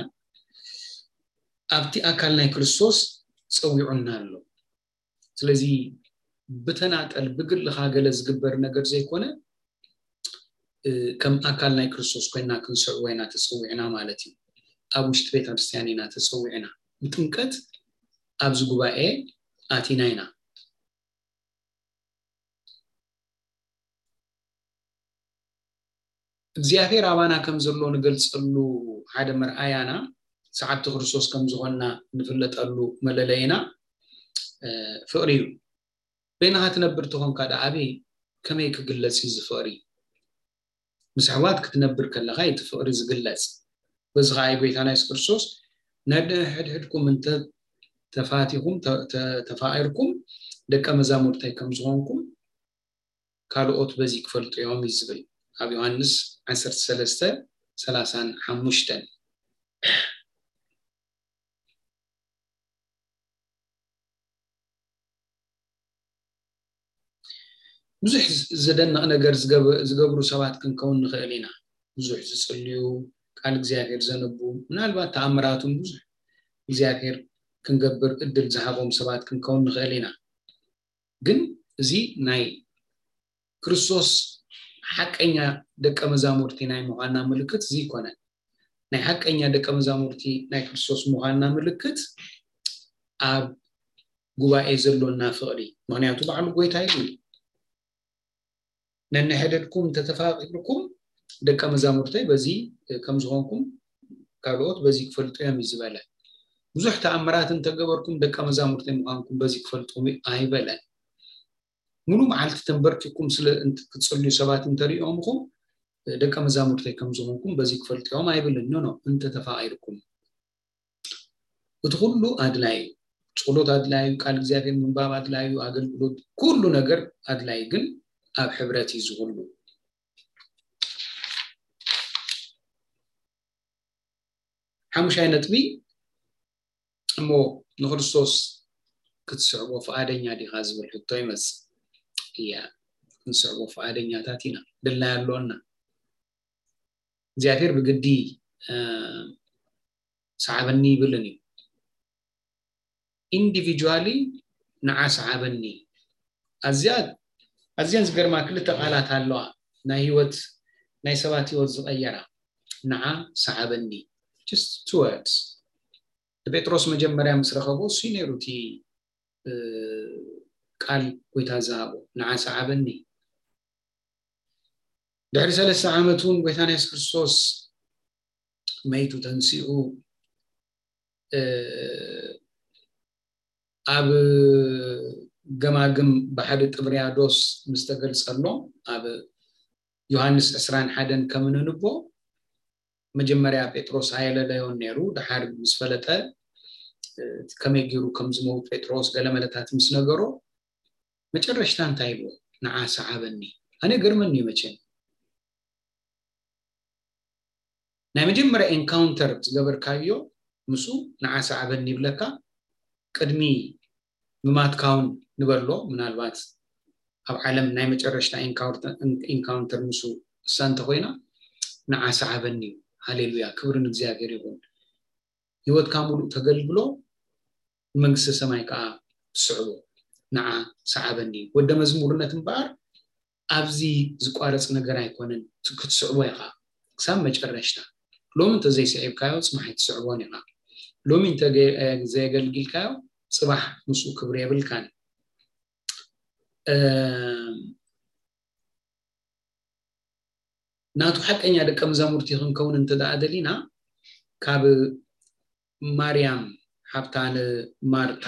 ኣብቲ ኣካል ናይ ክርስቶስ ጸዊዑና ኣሎ። ስለዚ ብተናጠል ብግልኻ ገለ ዝግበር ነገር ዘይኮነ ከም ኣካል ናይ ክርስቶስ ኮይና ክንስዕቦ ኢና ተጸዊዕና ማለት እዩ። ኣብ ውሽጢ ቤተክርስትያን ኢና ተጸዊዕና። ብጥምቀት ኣብዚ ጉባኤ ኣቲና ኢና። እግዚኣብሔር ኣባና ከም ዘሎ ንገልጸሉ ሓደ መርኣያና ሰዓብቲ ክርስቶስ ከም ዝኾንና ንፍለጠሉ መለለይና ፍቕሪ እዩ። በይንኻ ትነብር ተኾንካ ደኣ ኣበይ ከመይ ክግለጽ እዩ እዚ ፍቕሪ? ምስ ኣሕዋት ክትነብር ከለኻ እዩ እቲ ፍቕሪ ዝግለጽ። በዚ ኸዓ እዩ ጎይታና የሱስ ክርስቶስ ነንሕድሕድኩም እንተ ተፋቲኹም ተፋቒርኩም ደቀ መዛሙርተይ ከም ዝኾንኩም ካልኦት በዚ ክፈልጡ እዮም እዩ ዝብል ኣብ ዮሃንስ ዓሰርተ ሰለስተ ሰላሳን ሓሙሽተን። ብዙሕ ዘደንቕ ነገር ዝገብሩ ሰባት ክንከውን ንኽእል ኢና። ብዙሕ ዝጽልዩ፣ ቃል እግዚኣብሔር ዘንቡ፣ ምናልባት ተኣምራቱን ብዙሕ እግዚኣብሔር ክንገብር እድል ዝሃቦም ሰባት ክንከውን ንኽእል ኢና። ግን እዚ ናይ ክርስቶስ ሓቀኛ ደቀ መዛሙርቲ ናይ ምዃንና ምልክት እዚ ኣይኮነን። ናይ ሓቀኛ ደቀ መዛሙርቲ ናይ ክርስቶስ ምዃንና ምልክት ኣብ ጉባኤ ዘሎና ፍቕሪ። ምኽንያቱ ባዕሉ ጎይታ ይብል፣ ነንሕድሕድኩም እንተተፋቒርኩም ደቀ መዛሙርተይ በዚ ከም ዝኾንኩም ካልኦት በዚ ክፈልጡ እዮም እዩ ዝበለ። ብዙሕ ተኣምራት እንተገበርኩም ደቀ መዛሙርተይ ምዃንኩም በዚ ክፈልጡ ኣይበለን። ሙሉ መዓልቲ ተንበርኪኩም ስለ ክትጽልዩ ሰባት እንተሪኦምኹም ደቀ መዛሙርተይ ከም ዝኾንኩም በዚ ክፈልጡ እዮም ኣይብልን። ኖ ኖ፣ እንተተፋቒርኩም እቲ ኩሉ ኣድላይ እዩ። ጸሎት ኣድላይ እዩ፣ ቃል እግዚኣብሔር ምንባብ ኣድላይ እዩ፣ ኣገልግሎት ኩሉ ነገር ኣድላይ፣ ግን ኣብ ሕብረት እዩ ዝኩሉ። ሓሙሻይ ነጥቢ እሞ ንክርስቶስ ክትስዕቦ ፍቓደኛ ዲኻ ዝብል ሕቶ ይመጽእ። እያ፣ ክንስዕቦ ፍቓደኛታት ኢና፣ ድላይ ኣሎና። እግዚኣብሔር ብግዲ ሰዓበኒ ይብልን እዩ። ኢንዲቪጁዋሊ ንዓ ሰዓበኒ። ኣዝያ ኣዝያን ዝገርማ ክልተ ቃላት ኣለዋ፣ ናይ ህይወት ናይ ሰባት ህይወት ዝቐየራ። ንዓ ሰዓበኒ፣ just two words። ንጴጥሮስ መጀመርያ ምስ ረኸቦ እሱ ነይሩ እቲ ቃል ጎይታ ዝሃቦ፣ ንዓ ሰዓበኒ። ድሕሪ ሰለስተ ዓመት እውን ጎይታና የሱስ ክርስቶስ መይቱ ተንሲኡ ኣብ ገማግም ባሕሪ ጥብርያዶስ ምስ ተገልጸሎም ኣብ ዮሃንስ ዕስራን ሓደን ከም ነንቦ መጀመርያ ጴጥሮስ ኣየለለዮን ነይሩ። ድሓር ምስ ፈለጠ ከመይ ገይሩ ከም ዝመውት ጴጥሮስ ገለ መለታት ምስ ነገሮ መጨረሽታ እንታይ ኢልዎ? ንዓ ሰዓበኒ። ኣነ ገርመኒ እዩ መቸም ናይ መጀመርያ ኤንካውንተር ዝገበርካዮ ምስኡ ንዓ ሰዓበኒ ይብለካ። ቅድሚ ምማትካ እውን ንበሎ፣ ምናልባት ኣብ ዓለም ናይ መጨረሽታ ኤንካውንተር ምስኡ እሳ እንተኮይና ንዓ ሰዓበኒ እዩ። ሃሌሉያ፣ ክብሪ ንእግዚኣብሔር ይኹን። ህይወትካ ሙሉእ ተገልግሎ፣ ንመንግስተ ሰማይ ከዓ ትስዕቦ። ንዓ ሰዓበኒ። ወደ መዝሙርነት እምበኣር ኣብዚ ዝቋረጽ ነገር ኣይኮነን፣ ክትስዕቦ ኢኻ ክሳብ መጨረሽታ። ሎሚ እንተዘይስዒብካዮ ጽባሕ ኣይትስዕቦን ኢኻ። ሎሚ እንተ ዘየገልጊልካዮ ጽባሕ ምስኡ ክብሪ የብልካን። ናቱ ሓቀኛ ደቀ መዛሙርቲ ክንከውን እንተ ደኣ ደሊና፣ ካብ ማርያም ሓብታ ንማርታ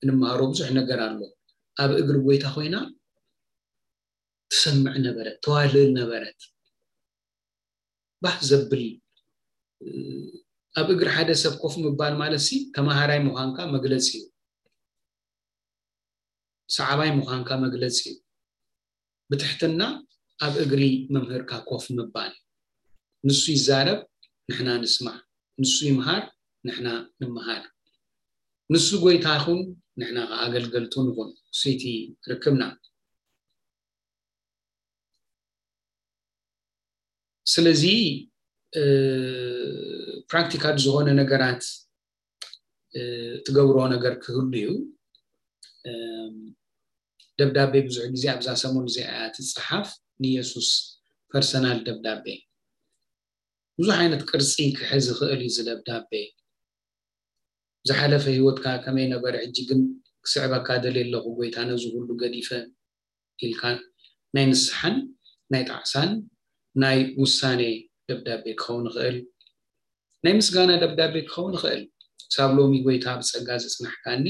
እንመሃሮ ብዙሕ ነገር ኣሎ። ኣብ እግሪ ጎይታ ኮይና ትሰምዕ ነበረት፣ ተዋልል ነበረት። ባህ ዘብል ኣብ እግሪ ሓደ ሰብ ኮፍ ምባል ማለት ሲ ተማሃራይ ምዃንካ መግለጺ እዩ። ሰዓባይ ምዃንካ መግለጺ እዩ። ብትሕትና ኣብ እግሪ መምህርካ ኮፍ ምባል። ንሱ ይዛረብ፣ ንሕና ንስማዕ። ንሱ ይምሃር፣ ንሕና ንምሃር። ንሱ ጎይታ ይኹን፣ ንሕና ከኣ ኣገልገልቱ ንኹን። ንሱ እቲ ርክብና። ስለዚ ፕራክቲካል ዝኾነ ነገራት ትገብሮ ነገር ክህሉ እዩ። ደብዳቤ ብዙሕ ግዜ ኣብዛ ሰሙን እዚኣ እያ ትጸሓፍ። ንየሱስ ፐርሰናል ደብዳቤ ብዙሕ ዓይነት ቅርጺ ክሕዝ ይኽእል እዩ። እዚ ደብዳቤ ዝሓለፈ ህይወትካ ከመይ ነበረ፣ ሕጂ ግን ክስዕበካ ደልየ ኣለኹ ጎይታ፣ ነዚ ኩሉ ገዲፈ ኢልካ ናይ ንስሓን ናይ ጣዕሳን ናይ ውሳኔ ደብዳቤ ክኸውን ይኽእል። ናይ ምስጋና ደብዳቤ ክኸውን ይኽእል። ክሳብ ሎሚ ጎይታ ብጸጋ ዘጽናሕካኒ፣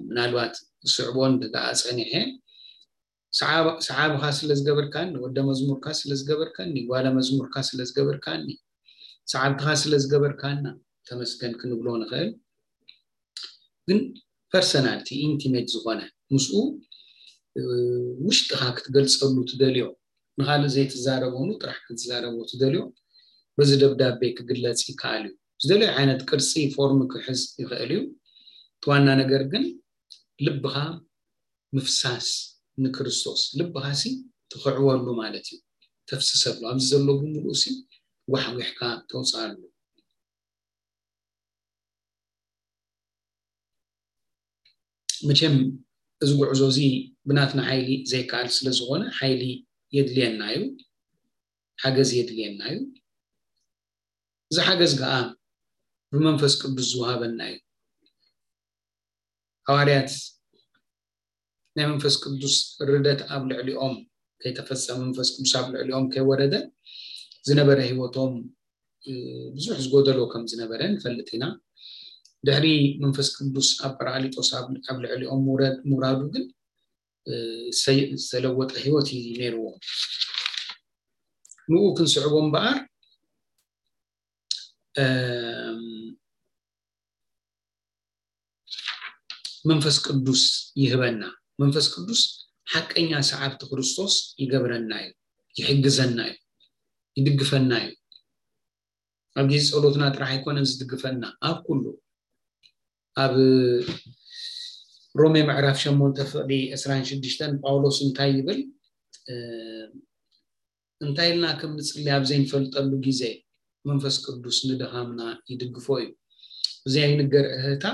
ምናልባት ስዕቦ እንተ ደኣ ጸኒሐ፣ ሰዓብኻ ስለ ዝገበርካኒ፣ ወደ መዝሙርካ ስለ ዝገበርካኒ፣ ጓለ መዝሙርካ ስለ ዝገበርካኒ፣ ሰዓብትኻ ስለ ዝገበርካና ተመስገን ክንብሎ ንኽእል። ግን ፐርሰናልቲ ኢንቲሜት ዝኾነ ምስኡ ውሽጥኻ ክትገልጸሉ ትደልዮ፣ ንኻልእ ዘይትዛረቦ ጥራሕ ክትዛረቦ ትደልዮ፣ በዚ ደብዳቤ ክግለጽ ይከኣል እዩ። ዝደለዮ ዓይነት ቅርጺ ፎርም ክሕዝ ይኽእል እዩ። እቲ ዋና ነገር ግን ልብኻ ምፍሳስ ንክርስቶስ፣ ልብኻ ሲ ትኽዕወሉ ማለት እዩ። ተፍስሰሉ፣ ኣብዚ ዘሎ ብምሉእ ሲ ጓሕጒሕካ ተውፅኣሉ። መቸም እዚ ጉዕዞ እዚ ብናትና ሓይሊ ዘይከኣል ስለ ዝኾነ ሓይሊ የድልየና እዩ፣ ሓገዝ የድልየና እዩ። እዚ ሓገዝ ከዓ ብመንፈስ ቅዱስ ዝወሃበና እዩ። ሃዋርያት ናይ መንፈስ ቅዱስ ርደት ኣብ ልዕሊኦም ከይተፈጸመ፣ መንፈስ ቅዱስ ኣብ ልዕሊኦም ከይወረደ ዝነበረ ህይወቶም ብዙሕ ዝጎደሎ ከም ዝነበረ ንፈልጥ ኢና። ድሕሪ መንፈስ ቅዱስ ኣብ ጳራቅሊጦስ ኣብ ልዕሊኦም ምውራዱ ግን ዝተለወጠ ህይወት እዩ ነይርዎም። ንኡ ክንስዕቦ እምበኣር መንፈስ ቅዱስ ይህበና። መንፈስ ቅዱስ ሓቀኛ ሰዓብቲ ክርስቶስ ይገብረና እዩ፣ ይሕግዘና እዩ፣ ይድግፈና እዩ። ኣብ ግዜ ጸሎትና ጥራሕ ኣይኮነን ዝድግፈና፣ ኣብ ኩሉ። ኣብ ሮሜ ምዕራፍ ሸሞንተ ፍቕዲ ዕስራን ሽዱሽተን ጳውሎስ እንታይ ይብል? እንታይ ኢልና ከም ንጽሊ ኣብ ዘይንፈልጠሉ ግዜ መንፈስ ቅዱስ ንድኻምና ይድግፎ እዩ። ብዘይንገር እህታ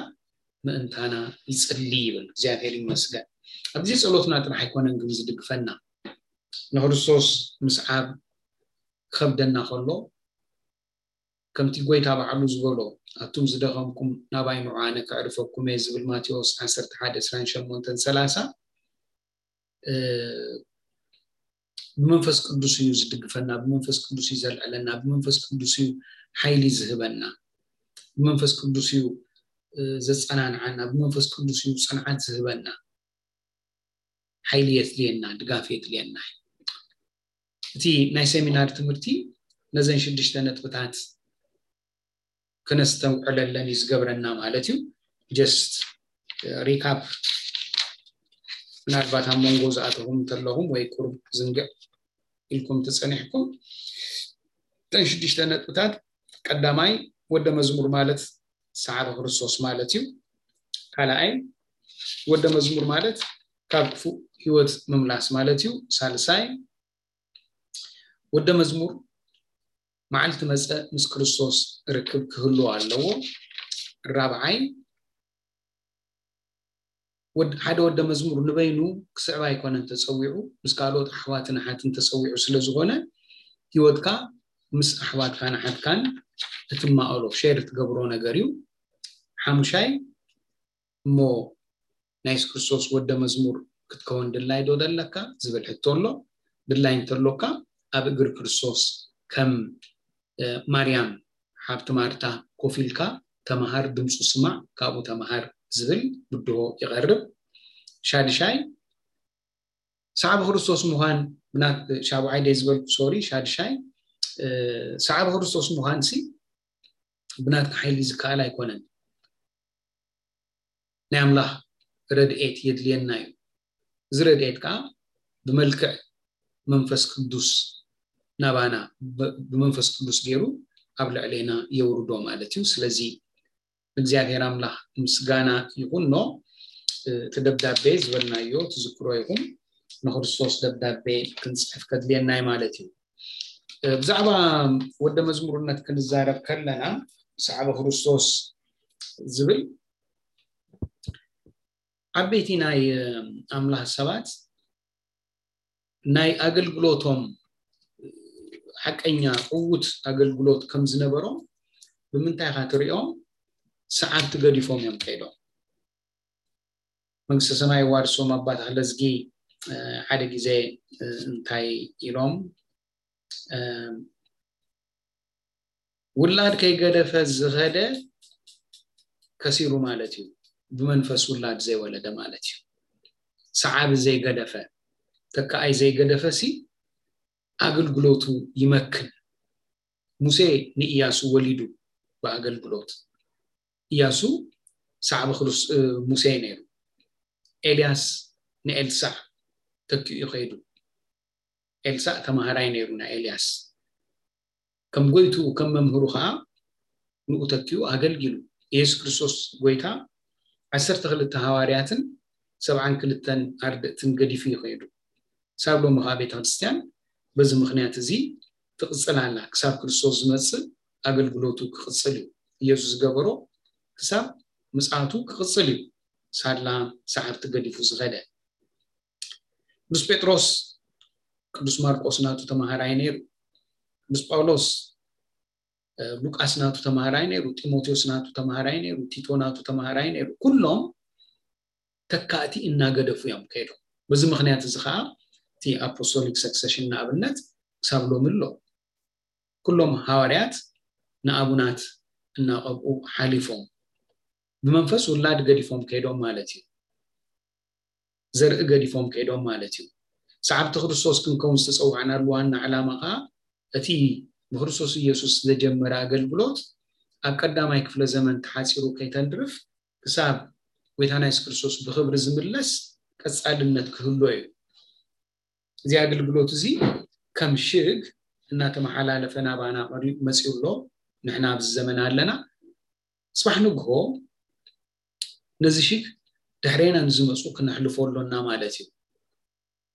ምእንታና ይጽሊ ይብል። እግዚኣብሔር ይመስገን። ኣብ ግዜ ጸሎትና ጥራሕ ኣይኮነን ግን ዝድግፈና። ንክርስቶስ ምስዓብ ክኸብደና ከሎ፣ ከምቲ ጎይታ ባዕሉ ዝበሎ፣ ኣቱም ዝደኸምኩም ናባይ ንዑ ኣነ ከዕርፈኩም እየ ዝብል ማቴዎስ ዓሰርተ ሓደ ዕስራን ሸሞንተን ሰላሳ፣ ብመንፈስ ቅዱስ እዩ ዝድግፈና፣ ብመንፈስ ቅዱስ እዩ ዘልዕለና፣ ብመንፈስ ቅዱስ እዩ ሓይሊ ዝህበና፣ ብመንፈስ ቅዱስ እዩ ዘጸናንዓና፣ ብመንፈስ ቅዱስ እዩ ጽንዓት ዝህበና። ሓይሊ የድልየና፣ ድጋፍ የድልየና። እቲ ናይ ሴሚናር ትምህርቲ ነዘን ሽዱሽተ ነጥብታት ክነስተውዕለለን እዩ ዝገብረና ማለት እዩ። ጀስት ሪካፕ፣ ምናልባት ኣብ መንጎ ዝኣተኹም እንተለኹም ወይ ቁሩብ ዝንግዕ ኢልኩም ተጸኒሕኩም፣ እተን ሽዱሽተ ነጥብታት፣ ቀዳማይ ወደ መዝሙር ማለት ሰዓቢ ክርስቶስ ማለት እዩ። ካልኣይ ወደ መዝሙር ማለት ካብ ክፉእ ህይወት ምምላስ ማለት እዩ። ሳልሳይ ወደ መዝሙር መዓልቲ መጸ ምስ ክርስቶስ ርክብ ክህልዎ ኣለዎ። ራብዓይ ሓደ ወደ መዝሙር ንበይኑ ክስዕብ ኣይኮነን ተፀዊዑ፣ ምስ ካልኦት ኣሕዋትን ኣሓትን ተፀዊዑ ስለ ዝኾነ፣ ህይወትካ ምስ ኣሕዋትካን ኣሓትካን እትማእሎ፣ ሼር እትገብሮ ነገር እዩ። ሓሙሻይ፣ እሞ ናይ የሱስ ክርስቶስ ወደ መዝሙር ክትከውን ድላይ ዶ ዘለካ ዝብል ሕቶ ኣሎ። ድላይ እንተሎካ፣ ኣብ እግሪ ክርስቶስ ከም ማርያም ሓብቲ ማርታ ኮፍ ኢልካ ተምሃር፣ ድምፁ ስማዕ፣ ካብኡ ተምሃር ዝብል ብድሆ ይቐርብ። ሻድሻይ፣ ሰዓቢ ክርስቶስ ምዃን፣ ሻብዓይ ደይ ዝበልኩ፣ ሶሪ፣ ሻድሻይ፣ ሰዓቢ ክርስቶስ ምዃን ሲ ብናትካ ሓይሊ ዝከኣል ኣይኮነን። ናይ ኣምላኽ ረድኤት የድልየና እዩ። እዚ ረድኤት ከዓ ብመልክዕ መንፈስ ቅዱስ ናባና፣ ብመንፈስ ቅዱስ ገይሩ ኣብ ልዕሌና የውርዶ ማለት እዩ። ስለዚ እግዚኣብሔር ኣምላኽ ምስጋና ይኹኖ። እቲ ደብዳቤ ዝበልናዮ ትዝክሮ ይኹን፣ ንክርስቶስ ደብዳቤ ክንፅሕፍ ከድልየናይ ማለት እዩ። ብዛዕባ ወደ መዝሙርነት ክንዛረብ ከለና፣ ሰዓቢ ክርስቶስ ዝብል ዓበይቲ ናይ ኣምላኽ ሰባት ናይ ኣገልግሎቶም ሓቀኛ ዕዉት ኣገልግሎት ከም ዝነበሮም ብምንታይ ኢኻ ትሪኦም? ሰዓብቲ ገዲፎም እዮም ከይዶም። መንግስተ ሰማይ ዋርሶም ኣባ ተኽለዝጊ ሓደ ግዜ እንታይ ኢሎም፣ ውላድ ከይገደፈ ዝኸደ ከሲሩ ማለት እዩ። ብመንፈስ ውላድ ዘይወለደ ማለት እዩ። ሰዓቢ ዘይገደፈ፣ ተካኣይ ዘይገደፈ ሲ ኣገልግሎቱ ይመክን። ሙሴ ንኢያሱ ወሊዱ ብኣገልግሎት። ኢያሱ ሰዓቢ ክርስ-፣ ሙሴ ነይሩ። ኤልያስ ንኤልሳዕ ተኪኡ ከይዱ። ኤልሳዕ ተማሃራይ ነይሩ ናይ ኤልያስ። ከም ጎይቱ፣ ከም መምህሩ ከዓ ንኡ ተኪኡ ኣገልጊሉ። የሱስ ክርስቶስ ጎይታ ዓሰርተ ክልተ ሃዋርያትን ሰብዓን ክልተን ኣርድእትን ገዲፉ እዩ ከይዱ። ክሳብ ሎሚ ከዓ ቤተ ክርስቲያን በዚ ምኽንያት እዚ ትቕጽል ኣላ። ክሳብ ክርስቶስ ዝመጽእ ኣገልግሎቱ ክቕጽል እዩ። ኢየሱስ ዝገበሮ ክሳብ ምጽኣቱ ክቕጽል እዩ። ሳላ ሰዓብቲ ገዲፉ ዝኸደ። ቅዱስ ጴጥሮስ ቅዱስ ማርቆስ ናቱ ተማሃራይ ነይሩ። ቅዱስ ጳውሎስ ሉቃስ ናቱ ተማሃራይ ነይሩ። ጢሞቴዎስ ናቱ ተማሃራይ ነይሩ። ቲቶ ናቱ ተማሃራይ ነይሩ። ኩሎም ተካእቲ እናገደፉ እዮም ከይዶም። በዚ ምኽንያት እዚ ከዓ እቲ ኣፖስቶሊክ ሰክሰሽን ንኣብነት ክሳብ ሎሚ ኣሎ። ኩሎም ሃዋርያት ንኣቡናት እናቐብኡ ሓሊፎም ብመንፈስ ውላድ ገዲፎም ከይዶም ማለት እዩ። ዘርኢ ገዲፎም ከይዶም ማለት እዩ። ሰዓብቲ ክርስቶስ ክንከውን ዝተፀዋዕናሉ ዋና ዕላማ ከዓ እቲ ብክርስቶስ ኢየሱስ ዝተጀመረ ኣገልግሎት ኣብ ቀዳማይ ክፍለ ዘመን ተሓፂሩ ከይተንድርፍ ክሳብ ጎይታና የሱስ ክርስቶስ ብክብሪ ዝምለስ ቀፃልነት ክህሎ እዩ። እዚ ኣገልግሎት እዚ ከም ሽግ እናተመሓላለፈ ናባና ቀሪቡ መፂኡ ኣሎ። ንሕና ኣብዚ ዘመን ኣለና። ጽባሕ ንግሆ ነዚ ሽግ ድሕሬና ንዝመፁ ክነሕልፎ ኣሎና ማለት እዩ።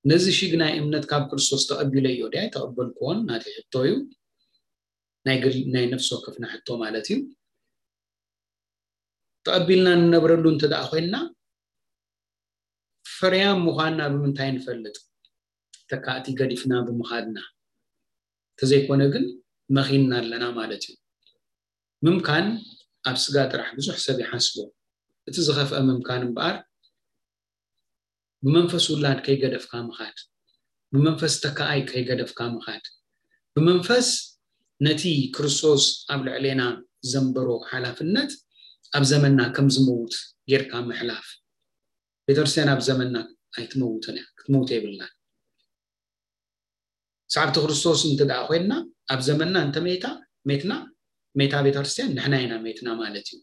ነዚ ሽግ ናይ እምነት ካብ ክርስቶስ ተቐቢለዮ ድያ ኣይተቐበልክዎን ናተይ ሕቶ እዩ። ናይ ግል፣ ናይ ነፍሲ ወከፍና ሕቶ ማለት እዩ። ተቐቢልና ንነብረሉ እንተ ደኣ ኮይንና፣ ፍርያም ምዃንና ብምንታይ ንፈልጥ? ተካእቲ ገዲፍና ብምኻድና። እንተዘይኮነ ግን መኺንና ኣለና ማለት እዩ። ምምካን ኣብ ስጋ ጥራሕ ብዙሕ ሰብ ይሓስቦ። እቲ ዝኸፍአ ምምካን እምበኣር ብመንፈስ ውላድ ከይገደፍካ ምኻድ፣ ብመንፈስ ተካኣይ ከይገደፍካ ምኻድ፣ ብመንፈስ ነቲ ክርስቶስ ኣብ ልዕሌና ዘንበሮ ሓላፍነት ኣብ ዘመንና ከም ዝመውት ጌርካ ምሕላፍ። ቤተክርስትያን ኣብ ዘመንና ኣይትመውትን እያ፣ ክትመውት የብላን። ሰዓብቲ ክርስቶስ እንተ ደኣ ኮይንና ኣብ ዘመንና እንተ ሜታ ሜትና፣ ሜታ ቤተክርስትያን ንሕና ኢና ሜትና ማለት እዩ።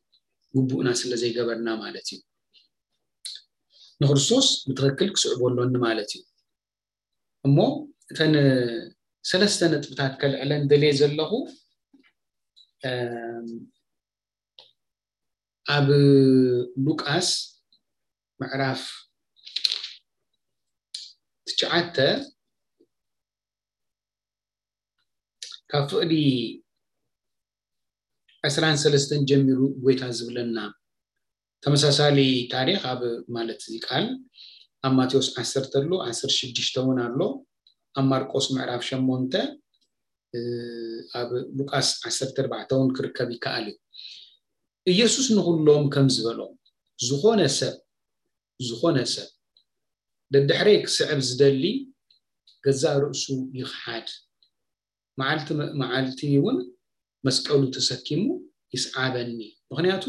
ግቡእና ስለ ዘይገበርና ማለት እዩ። ንክርስቶስ ብትኽክል ክስዕቦ ኣሎኒ ማለት እዩ። እሞ እተን ሰለስተ ነጥብታት ከልዕለን ደልየ ዘለኹ፣ እም፣ ኣብ ሉቃስ ምዕራፍ ትሽዓተ ካብ ፍቕዲ ዕስራን ሰለስተን ጀሚሩ ጎይታ ዝብለና፣ ተመሳሳሊ ታሪኽ ኣብ ማለት እዚ ቃል ኣብ ማቴዎስ ዓሰርተ ኣሎ፣ ዓሰርተ ሽዱሽተ እውን ኣሎ። ኣብ ማርቆስ ምዕራፍ ሸሞንተ፣ ኣብ ሉቃስ ዓሰርተ ኣርባዕተ እውን ክርከብ ይከኣል እዩ። ኢየሱስ ንኹሎም ከም ዝበሎም፣ ዝኾነ ሰብ፣ ዝኾነ ሰብ ደድሕረይ ክስዕብ ዝደሊ ገዛእ ርእሱ ይኽሓድ፣ መዓልቲ መዓልቲ እውን መስቀሉ ተሰኪሙ ይስዓበኒ። ምኽንያቱ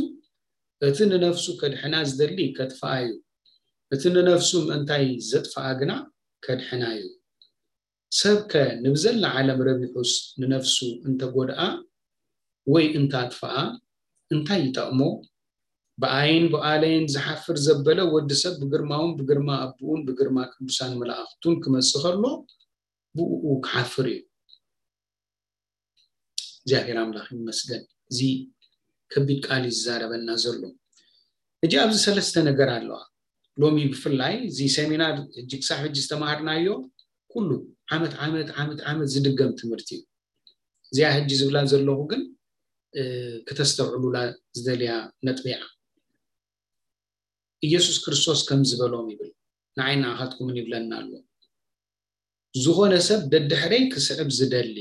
እቲ ንነፍሱ ከድሕና ዝደሊ ከጥፍኣ እዩ፣ እቲ ንነፍሱ ምእንታይ ዘጥፍኣ ግና ከድሕና እዩ። ሰብከ ንብዘላ ዓለም ረቢሑስ ንነፍሱ እንተጎድኣ ወይ እንታጥፍኣ እንታይ ይጠቕሞ? ብኣይን ብኣለይን ዝሓፍር ዘበለ ወዲ ሰብ ብግርማውን ብግርማ ኣቦኡን ብግርማ ቅዱሳን መላእኽቱን ክመጽእ ከሎ ብእኡ ክሓፍር እዩ። እግዚኣብሔር ኣምላኽ ይመስገን። እዚ ከቢድ ቃል እዩ ዝዛረበና ዘሎ። ሕጂ ኣብዚ ሰለስተ ነገር ኣለዋ። ሎሚ ብፍላይ እዚ ሴሚናር ሕጂ ክሳብ ሕጂ ዝተማሃርናዮ ኩሉ ዓመት ዓመት ዓመት ዓመት ዝድገም ትምህርቲ እዩ። እዚኣ ሕጂ ዝብላ ዘለኹ ግን እ፣ ክተስተውዕሉላ ዝደልያ ነጥቢ እያ። ኢየሱስ ክርስቶስ ከም ዝበሎም ይብል፣ ንዓይ ንዓኻትኩምን ይብለና ኣሎ። ዝኾነ ሰብ ደድሕረይ ክስዕብ ዝደሊ፣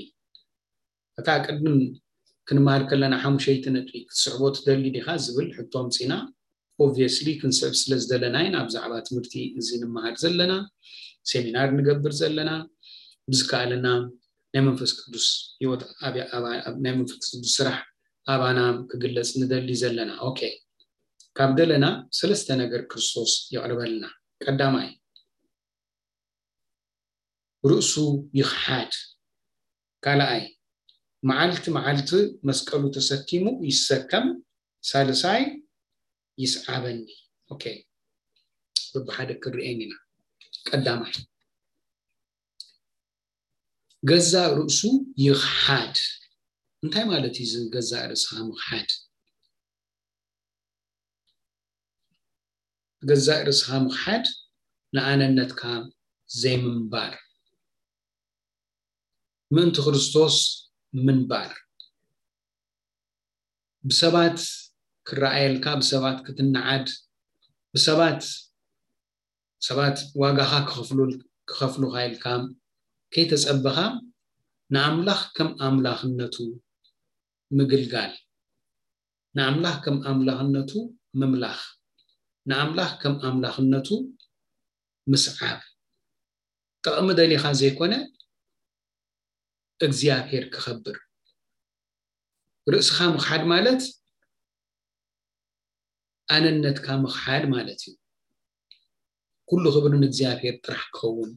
እታ ቅድም ክንመሃር ከለና ሓሙሸይቲ ነጥቢ ክትስዕቦ ትደሊ ዲኻ ዝብል ሕቶ ኣምጺና። ኦብቪየስሊ ክንስዕብ ስለ ዝደለና ኢና ብዛዕባ ትምህርቲ እዚ ንመሃር ዘለና፣ ሴሚናር ንገብር ዘለና። ብዝከኣለና ናይ መንፈስ ቅዱስ ህይወት ኣብያ- ኣባ- ኣብ- ናይ መንፈስ ቅዱስ ስራሕ ኣባና ክግለጽ ንደሊ ዘለና። ኦኬ፣ ካብ ደለና ሰለስተ ነገር ክርስቶስ የቕርበልና። ቀዳማይ፣ ርእሱ ይኽሓድ። ካልኣይ፣ መዓልቲ መዓልቲ መስቀሉ ተሰኪሙ ይሰከም። ሳልሳይ፣ ይስዓበኒ። ኦኬ፣ በብሓደ ክርኤን ኢና። ቀዳማይ፣ ገዛእ ርእሱ ይኽሓድ። እንታይ ማለት እዩ እዚ ገዛእ ርእስኻ ምኽሓድ? ገዛእ ርእስኻ ምኽሓድ ንኣነነትካ ዘይምንባር፣ ምእንቲ ክርስቶስ ምንባር፣ ብሰባት ክረኣየልካ፣ ብሰባት ክትነዓድ፣ ብሰባት ሰባት ዋጋኻ ክኸፍሉ ክኸፍሉኻ ኢልካ ከይተጸበኻ ንኣምላኽ ከም ኣምላኽነቱ ምግልጋል፣ ንኣምላኽ ከም ኣምላኽነቱ ምምላኽ፣ ንኣምላኽ ከም ኣምላኽነቱ ምስዓብ፣ ጥቕሚ ደሊኻ ዘይኮነ እግዚኣብሔር ክኸብር። ርእስኻ ምኽሓድ ማለት ኣነነትካ ምኽሓድ ማለት እዩ። ኩሉ ክብሪ ንእግዚኣብሔር ጥራሕ ክኸውን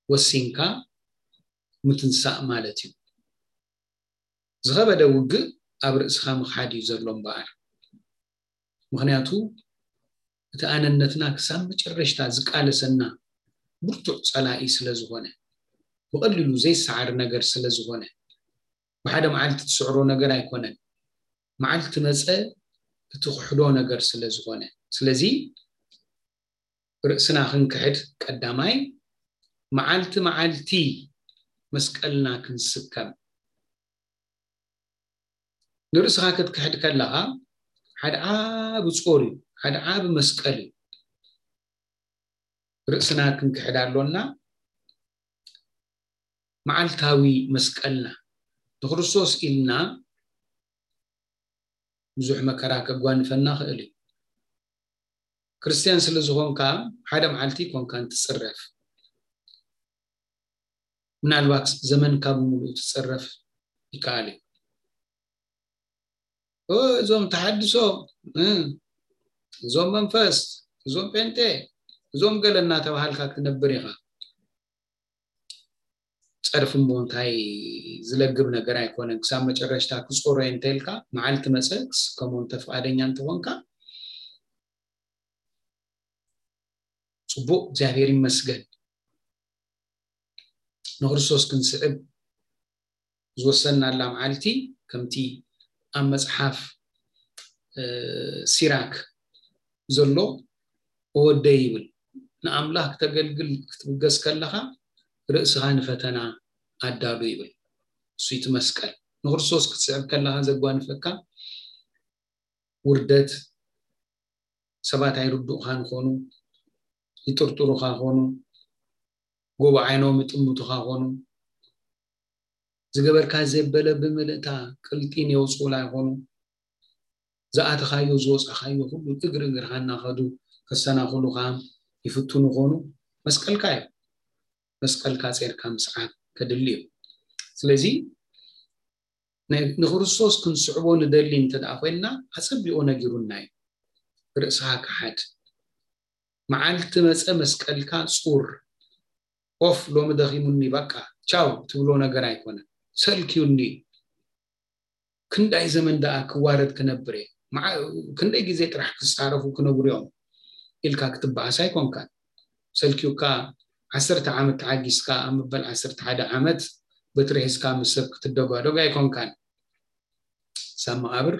ወሲንካ ምትንሳእ ማለት እዩ። ዝኸበደ ውግእ ኣብ ርእስኻ ምኽሓድ እዩ ዘሎ እምበኣር። ምኽንያቱ እቲ ኣነነትና ክሳብ መጨረሽታ ዝቃለሰና ብርቱዕ ጸላኢ ስለ ዝኾነ፣ ብቐሊሉ ዘይሰዓር ነገር ስለ ዝኾነ፣ ብሓደ መዓልቲ ትስዕሮ ነገር ኣይኮነን። መዓልቲ መጸ እትኽሕዶ ነገር ስለ ዝኾነ። ስለዚ ርእስና ክንክሕድ ቀዳማይ፣ መዓልቲ መዓልቲ መስቀልና ክንስከም። ንርእስኻ ክትክሕድ ከለኻ ሓደ ዓቢ ጾር እዩ፣ ሓደ ዓቢ መስቀል እዩ። ርእስና ክንክሕድ ኣሎና። መዓልታዊ መስቀልና ንክርስቶስ ኢልና ብዙሕ መከራ ከጓንፈና ክእል እዩ። ክርስትያን ስለ ዝኾንካ ሓደ መዓልቲ ኮንካን ትጽረፍ። ምናልባት ዘመንካ ብምሉኡ ትጽረፍ ይከኣል እዩ። ኦ፣ እዞም ተሓድሶ፣ እ፣ እዞም መንፈስ፣ እዞም ጴንጤ፣ እዞም ገለ እናተባሃልካ ክትነብር ኢኻ። ጸርፊ እሞ እንታይ ዝለግብ ነገር ኣይኮነን። ክሳብ መጨረሽታ ክጾሮ እየ እንተልካ፣ መዓልቲ መጸ ክስከሞ እንተ ፍቓደኛ እንተኾንካ፣ ጽቡቕ፣ እግዚኣብሔር ይመስገን። ንክርስቶስ ክንስዕብ ዝወሰንናላ መዓልቲ፣ ከምቲ ኣብ መጽሓፍ፣ እ፣ ሲራክ ዘሎ፣ "ወደይ" ይብል፣ "ንኣምላኽ ክተገልግል ክትብገስ ከለኻ፣ ርእስኻ ንፈተና ኣዳሉ" ይብል። እሱ እቲ መስቀል። ንክርስቶስ ክትስዕብ ከለኻ ዘጓንፈካ ውርደት፣ ሰባት ኣይርድኡኻን ይኾኑ፣ ይጥርጥሩኻ ይኾኑ፣ ጎቦ ዓይኖም ይጥምቱኻ ይኾኑ፣ ዝገበርካ ዘበለ ብምልእታ ቅልጢን የውፅኡላ ይኾኑ። ዝኣተኻዮ ዝወፃኻዮ ኩሉ እግሪ እግርኻ እናኸዱ ከሰናኽሉኻ ይፍትኑ ይኾኑ። መስቀልካ እዩ። መስቀልካ ጼርካ ምስዓብ ከድሊ እዩ። ስለዚ ንክርስቶስ ክንስዕቦ ንደሊ እንተ ደኣ ኮይንና ኣጸቢቑ ነጊሩና እዩ። ርእስኻ ክሓድ፣ መዓልቲ መጸ መስቀልካ ጹር፣ ኦፍ ሎሚ ደኺሙኒ በቃ ቻው ትብሎ ነገር ኣይኮነን። ሰልክዩኒ፣ ክንዳይ ዘመን ደኣ ክዋረድ ክነብር እየ፣ ክንደይ ግዜ ጥራሕ ክጻረፉ ክነብሩ እዮም ኢልካ ክትበኣስ ኣይኮንካን። ሰልክዩካ ዓሰርተ ዓመት ተዓጊስካ ኣብ መበል ዓሰርተ ሓደ ዓመት በትሪ ሒዝካ ምስ ሰብ ክትደጓደግ ኣይኮንካን። ሳብ መቓብር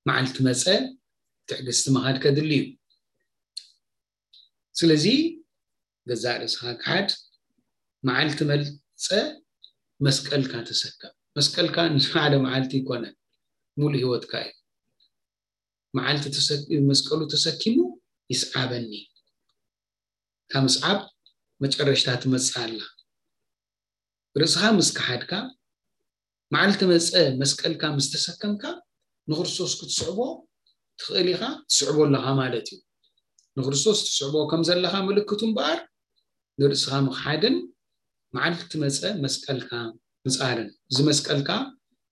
መዓልቲ መጸ ትዕግስቲ ምኻድ ከድሊ እዩ። ስለዚ ገዛእ ርእስኻ ክሓድ፣ መዓልቲ መጸ መስቀልካ ተሰከም። መስቀልካ ንሓደ መዓልቲ ይኮነን፣ ሙሉ ህይወትካ እዩ። መዓልቲ መስቀሉ ተሰኪሙ ይስዓበኒ። እታ ምስዓብ መጨረሽታ ትመጽእ ኣላ። ርእስኻ ምስ ከሓድካ፣ መዓልቲ መጸ መስቀልካ ምስ ተሰከምካ፣ ንክርስቶስ ክትስዕቦ ትኽእል ኢኻ፣ ትስዕቦ ኣለኻ ማለት እዩ። ንክርስቶስ ትስዕቦ ከም ዘለኻ ምልክቱ እምበኣር፣ ንርእስኻ ምኽሓድን መዓልቲ መጸ መስቀልካ ምጻርን። እዚ መስቀልካ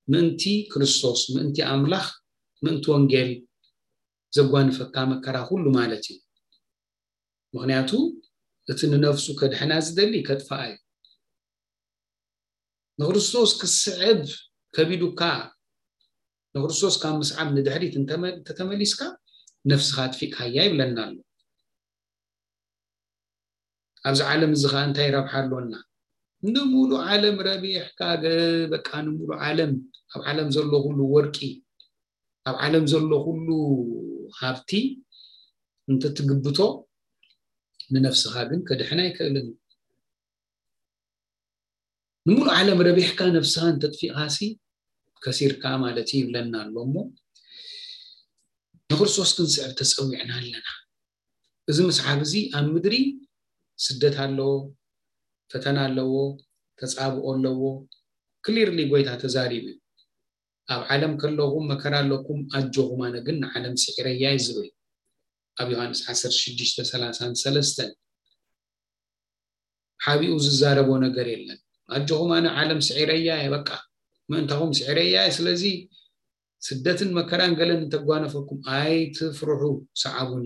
ምእንቲ ክርስቶስ፣ ምእንቲ ኣምላኽ፣ ምእንቲ ወንጌል ዘጓንፈካ መከራ ኩሉ ማለት እዩ። ምኽንያቱ እቲ ንነፍሱ ከድሕና ዝደሊ ከጥፍኣ እዩ። ንክርስቶስ ክስዕብ ከቢዱካ፣ ንክርስቶስ ካብ ምስዓብ ንድሕሪት እንተመ-፣ እንተተመሊስካ ነፍስኻ ኣጥፊእካያ ይብለና ኣሎ። ኣብዚ ዓለም እዚ ኸዓ እንታይ ረብሓ ኣሎና? ንሙሉ ዓለም ረቢሕካ ገ-፣ በቃ ንሙሉ ዓለም፣ ኣብ ዓለም ዘሎ ኩሉ ወርቂ፣ ኣብ ዓለም ዘሎ ኩሉ ሃብቲ እንተትግብቶ ንነፍስኻ ግን ከድሕን ኣይክእልን። ንሙሉ ዓለም ረቢሕካ ነፍስኻ እንተጥፊእኻሲ ከሲርካ ማለት እዩ ይብለና ኣሎ። እሞ ንክርስቶስ ክንስዕብ ተጸዊዕና ኣለና። እዚ ምስዓብ እዚ ኣብ ምድሪ ስደት ኣለዎ፣ ፈተና ኣለዎ፣ ተጻብኦ ኣለዎ። ክሊርሊ ጎይታ ተዛሪቡ እዩ። ኣብ ዓለም ከለኹም መከራ ኣለኩም፣ ኣጆኹም ኣነ ግን ንዓለም ስዒረያ እዩ ዝብል። ኣብ ዮሃንስ ዓሰርተ ሽዱሽተ ሰላሳን ሰለስተን ሓቢኡ ዝዛረቦ ነገር የለን። ኣጆኹም ኣነ ዓለም ስዒረያ እየ፣ በቃ ምእንታኹም ስዒረያ እየ። ስለዚ ስደትን መከራን ገለን እንተጓነፈኩም ኣይትፍርሑ፣ ሰዓቡኒ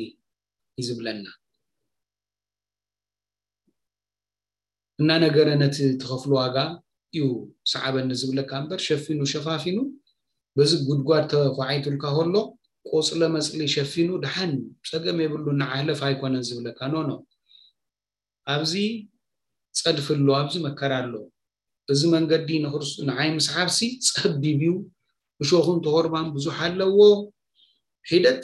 እዩ ዝብለና። እናነገረ ነቲ ትኸፍሎ ዋጋ እዩ ሰዓበኒ ዝብለካ እምበር ሸፊኑ ሸፋፊኑ በዚ ጉድጓድ ተኳዒቱልካ ከሎ ቆጽለ መጽሊ ሸፊኑ ደሓን ጸገም የብሉ ንዓህለፍ ኣይኮነን ዝብለካ። ኖ ኖ፣ ኣብዚ ጸድፊ ኣሎ፣ ኣብዚ መከራ ኣሎ። እዚ መንገዲ ንክርስ-፣ ንዓይ ምስሓብሲ ጸቢብ እዩ፣ እሾኹን ተኾርባን ብዙሕ ኣለዎ። ሒደት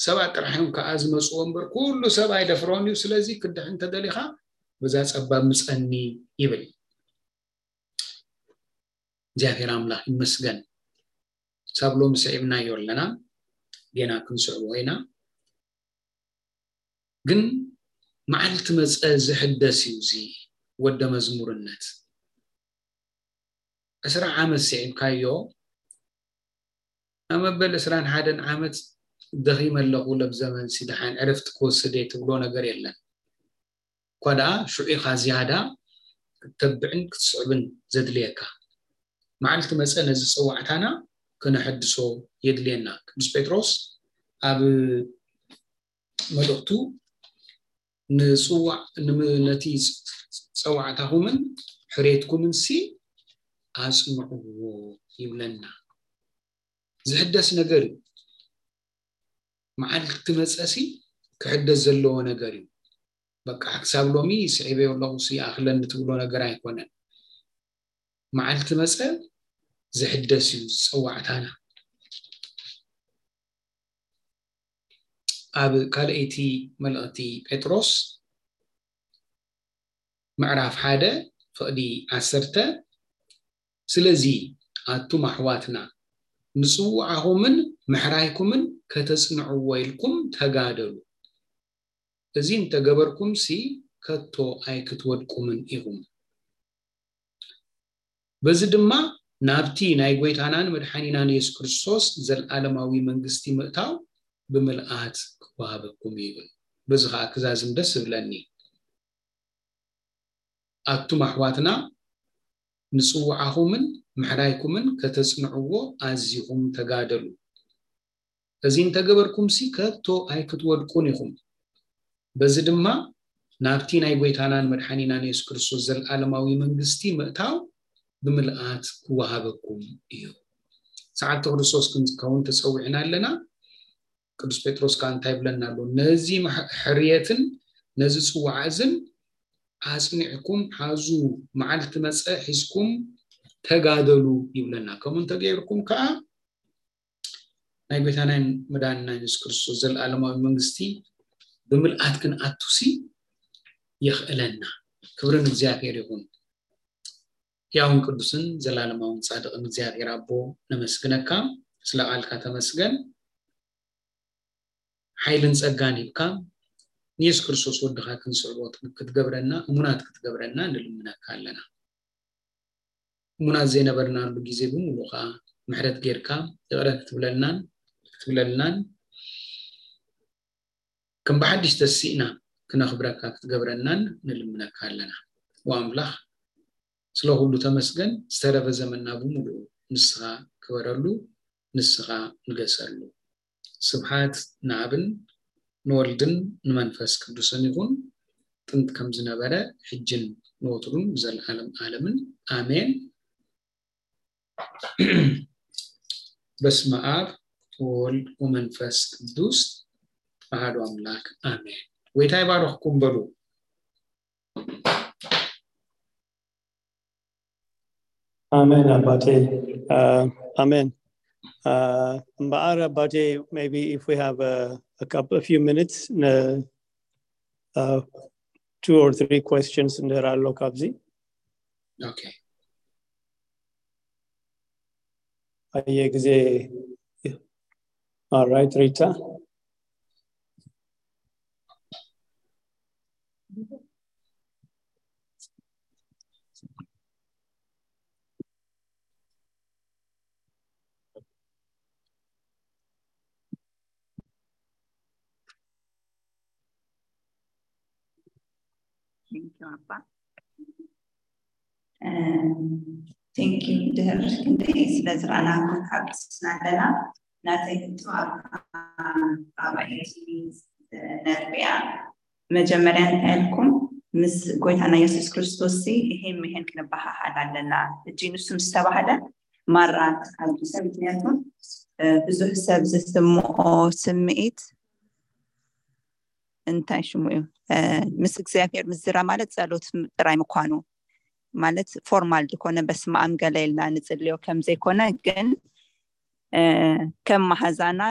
ሰባት ጥራሕ እዮም ከኣ ዝመጽዎ እምበር ኩሉ ሰብ ኣይደፍሮን እዩ። ስለዚ ክድሕን እንተደሊኻ በዛ ጸባብ ምጸኒ ይብል። እግዚኣብሔር ኣምላኽ ይመስገን። ሳብ ሎሚ ስዒብናዮ ኣለና፣ ጌና ክንስዕቦ ኢና። ግን መዓልቲ መጸ ዝሕደስ እዩ እዚ ወደ መዝሙርነት። ዕስራ ዓመት ስዒብካዮ፣ ኣብ መበል ዕስራን ሓደን ዓመት ደኺመ ኣለኹ፣ ለብ ዘመንሲ ደሓን ዕረፍቲ ክወስድ እየ ትብሎ ነገር የለን። እኳ ደኣ ሽዑ ኢኻ ዝያዳ ክትተብዕን ክትስዕብን ዘድልየካ። መዓልቲ መጸ ነዚ ጸዋዕታና ከነሐድሶ የድልየና። ቅዱስ ጴጥሮስ ኣብ መልእኽቱ ንጽዋዕ-፣ ንም-፣ ነቲ ጸዋዕታኹምን ሕሬትኩምን ሲ ኣጽንዕዎ ይብለና። ዝሕደስ ነገር እዩ። መዓልቲ መጸሲ ክሕደስ ዘለዎ ነገር እዩ። በቃ ክሳብ ሎሚ ስዒበዮ ኣለኹ ሲ ይኣኽለኒ ትብሎ ነገር ኣይኮነን። መዓልቲ መጸ ዝሕደስ እዩ ጸዋዕታና። ኣብ ካልኣይቲ መልእኽቲ ጴጥሮስ ምዕራፍ ሓደ ፍቕዲ ዓሰርተ፣ ስለዚ ኣቱም ኣሕዋትና ንጽውዓኹምን ምሕራይኩምን ከተጽንዕዎ ኢልኩም ተጋደሉ። እዚ እንተገበርኩምሲ ከቶ ኣይክትወድቁምን ኢኹም። በዚ ድማ ናብቲ ናይ ጐይታናን መድሓኒናን የሱስ ክርስቶስ ዘለዓለማዊ መንግስቲ ምእታው ብምልኣት ክወሃበኩም እዩ ይብል። በዚ ኸኣ ክዛዝም ደስ እብለኒ። ኣቱም ኣሕዋትና ንጽውዓኹምን ምሕራይኩምን ከተጽንዕዎ ኣዚኹም ተጋደሉ። እዚ እንተገበርኩምሲ ከቶ ኣይክትወድቁን ኢኹም። በዚ ድማ ናብቲ ናይ ጐይታናን መድሓኒናን የሱስ ክርስቶስ ዘለዓለማዊ መንግስቲ ምእታው ብምልኣት ክወሃበኩም እዩ። ሰዓብቲ ክርስቶስ ክንከውን ተጸዊዕና ኣለና። ቅዱስ ጴጥሮስ ከኣ እንታይ ይብለና ኣሎ? ነዚ ማሕ- ሕርየትን ነዚ ጽዋዕ እዝን ኣጽኒዕኩም ሓዙ፣ መዓልቲ መጸ ሒዝኩም ተጋደሉ ይብለና። ከምኡ እንተገይርኩም ከኣ ናይ ጐይታናን መድሓኒናን የሱስ ክርስቶስ ዘለዓለማዊ መንግስቲ ብምልኣት ክንኣቱሲ የኽእለና። ክብሪ ንእግዚኣብሔር ይኹን። ሕያውን ቅዱስን ዘላለማውን ጻድቕን እግዚኣብሔር ኣቦ፣ ነመስግነካ። ስለ ቃልካ ተመስገን። ሓይልን ጸጋን ሂብካ ንየሱስ ክርስቶስ ወድኻ ክንስዕቦ ክትገብረና፣ እሙናት ክትገብረና ንልምነካ ኣለና። እሙናት ዘይነበርናሉ ግዜ ብምሉእ ከኣ ምሕረት ጌርካ ይቕረ ክትብለልናን ክትብለልናን ከም ብሓድሽ ተሲእና ክነኽብረካ ክትገብረናን ንልምነካ ኣለና። ወኣምላኽ ስለ ኩሉ ተመስገን። ዝተረፈ ዘመንና ብምሉኡ ንስኻ ክበረሉ፣ ንስኻ ንገሰሉ። ስብሓት ንኣብን ንወልድን ንመንፈስ ቅዱስን ይኹን፣ ጥንቲ ከም ዝነበረ፣ ሕጅን ንወትሩን ንዘለዓለም ዓለምን። ኣሜን። በስመ ኣብ ወወልድ ወመንፈስ ቅዱስ ኣሐዱ ኣምላክ ኣሜን። ጎይታ ይባርኽኩም በሉ። ኣሜን ኣባቴ። ኣሜን። እምበኣር ኣባቴ, maybe if we have a, a couple, a few minutes, ነ uh, two or three questions እንድሕር ኣሎ ካብዚ። Okay. ኣየ ግዜ. All right, Rita. Thank you ኣባ። Thank you ድህር ክንደይ ስለ ዝረኣናኩም ሓጎስና ኣለና። ናተይ ሕቶ ኣብ ራብዓይቲ ነጥቢያ መጀመርያ እንታይ ኢልኩም ምስ ጎይታና የሱስ ክርስቶስ ሲ ይሄን ምሄን ክንበሃሃል ኣለና። እጂ ንሱ ምስ ተባህለ ማራ ተሓጒሰ። ምክንያቱ ብዙሕ ሰብ ዝስምኦ ስምዒት እንታይ ሽሙ እዩ ምስ እግዚኣብሔር ምዝራ ማለት ጸሎት ጥራይ ምኳኑ ማለት ፎርማል ዝኾነ በስመ ኣብ ገለ ኢልና ንጽልዮ ከም ዘይኮነ ግን ከም መሃዛና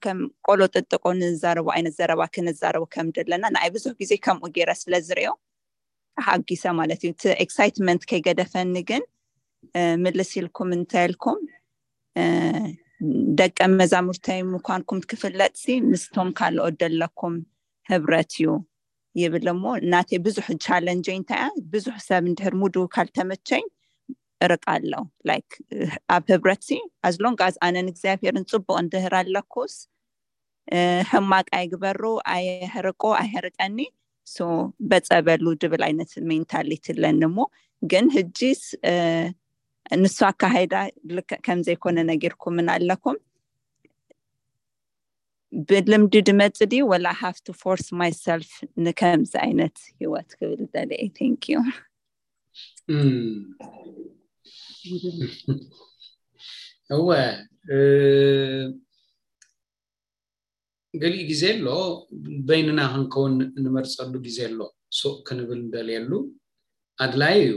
ከም ቆሎ ጥጥቆ ንዛረቦ ዓይነት ዘረባ ክንዛረቦ ከም ዘለና ንኣይ ብዙሕ ግዜ ከምኡ ገይረ ስለ ዝሪኦ ተሓጊሰ ማለት እዩ። እቲ ኤክሳይትመንት ከይገደፈኒ ግን ምልስ ኢልኩም እንታይ ኢልኩም ደቀ መዛሙርተይ ምኳንኩም ክፍለጥሲ ምስቶም ካልኦት ደለኩም ህብረት እዩ ይብል እሞ ናተይ ብዙሕ ቻለንጀይ እንታይ እያ ብዙሕ ሰብ እንድሕር ሙዱ ካልተመቸኝ እርቅ ኣለው ላይክ ኣብ ህብረት ሲ ኣዝሎንግ ኣዝ ኣነን እግዚኣብሔርን ፅቡቅ እንድህር ኣለኩስ ሕማቅ ኣይግበሩ ኣየሕርቆ ኣይሕርቀኒ ሶ በፀበሉ ድብል ዓይነት ሜንታሊቲ ኣለኒ እሞ ግን ህጂስ ንሱ ኣካሃይዳ ልክዕ ከምዘይኮነ ነጊርኩምን ኣለኩም ብልምዲ ድመፅ ድዩ ወላ have to force myself ንከምዚ ዓይነት ሂወት ክብል ደልየ thank you እወ ገሊኡ ግዜ ኣሎ በይንና ክንከውን ንመርፀሉ ግዜ ኣሎ ሱቅ ክንብል ንደልየሉ ኣድላይ እዩ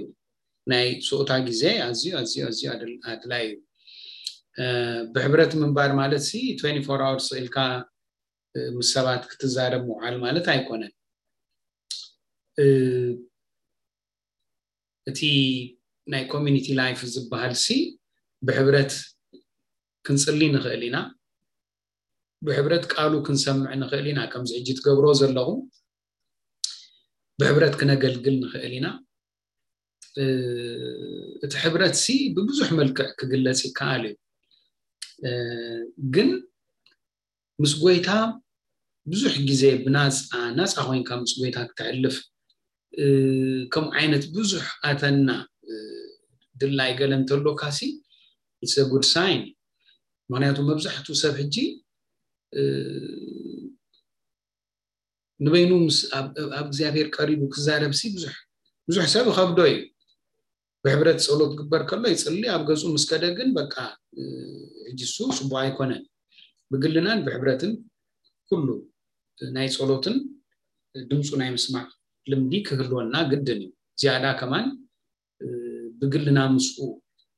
ናይ ሱቅታ ግዜ ኣዝዩ ኣዝዩ ኣዝዩ ኣድላይ እዩ ብሕብረት ምንባር ማለት ሲ twenty-four hours ኢልካ ምስ ሰባት ክትዛረብ ምውዓል ማለት ኣይኮነን እቲ ናይ community life ዝበሃል ሲ ብሕብረት ክንጽሊ ንኽእል ኢና። ብሕብረት ቃሉ ክንሰምዕ ንኽእል ኢና። ከምዚ ሕጂ ትገብሮ ዘለኹ ብሕብረት ክነገልግል ንኽእል ኢና። እቲ ሕብረት ሲ ብብዙሕ መልክዕ ክግለጽ ይከኣል እዩ። ግን ምስ ጎይታ ብዙሕ ግዜ ብናፃ ናፃ ኮይንካ ምስ ጎይታ ክተሕልፍ ከምኡ ዓይነት ብዙሕ ኣተና ድላይ ገለ እንተሎካ ሲ it's a good sign። ምክንያቱ መብዛሕትኡ ሰብ ሕጂ ንበይኑ ምስ ኣብ እግዚኣብሔር ቀሪቡ ክዛረብ ሲ ብዙሕ ብዙሕ ሰብ ይኸብዶ እዩ። ብሕብረት ጸሎት ግበር ከሎ ይጽሊ ኣብ ገጹ ምስ ከደ ግን በቃ ሕጂ እሱ ጽቡቅ ኣይኮነን። ብግልናን ብሕብረትን ኩሉ ናይ ጸሎትን ድምፁ ናይ ምስማዕ ልምዲ ክህልወና ግድን እዩ። ዝያዳ ከማን ብግልና ምስኡ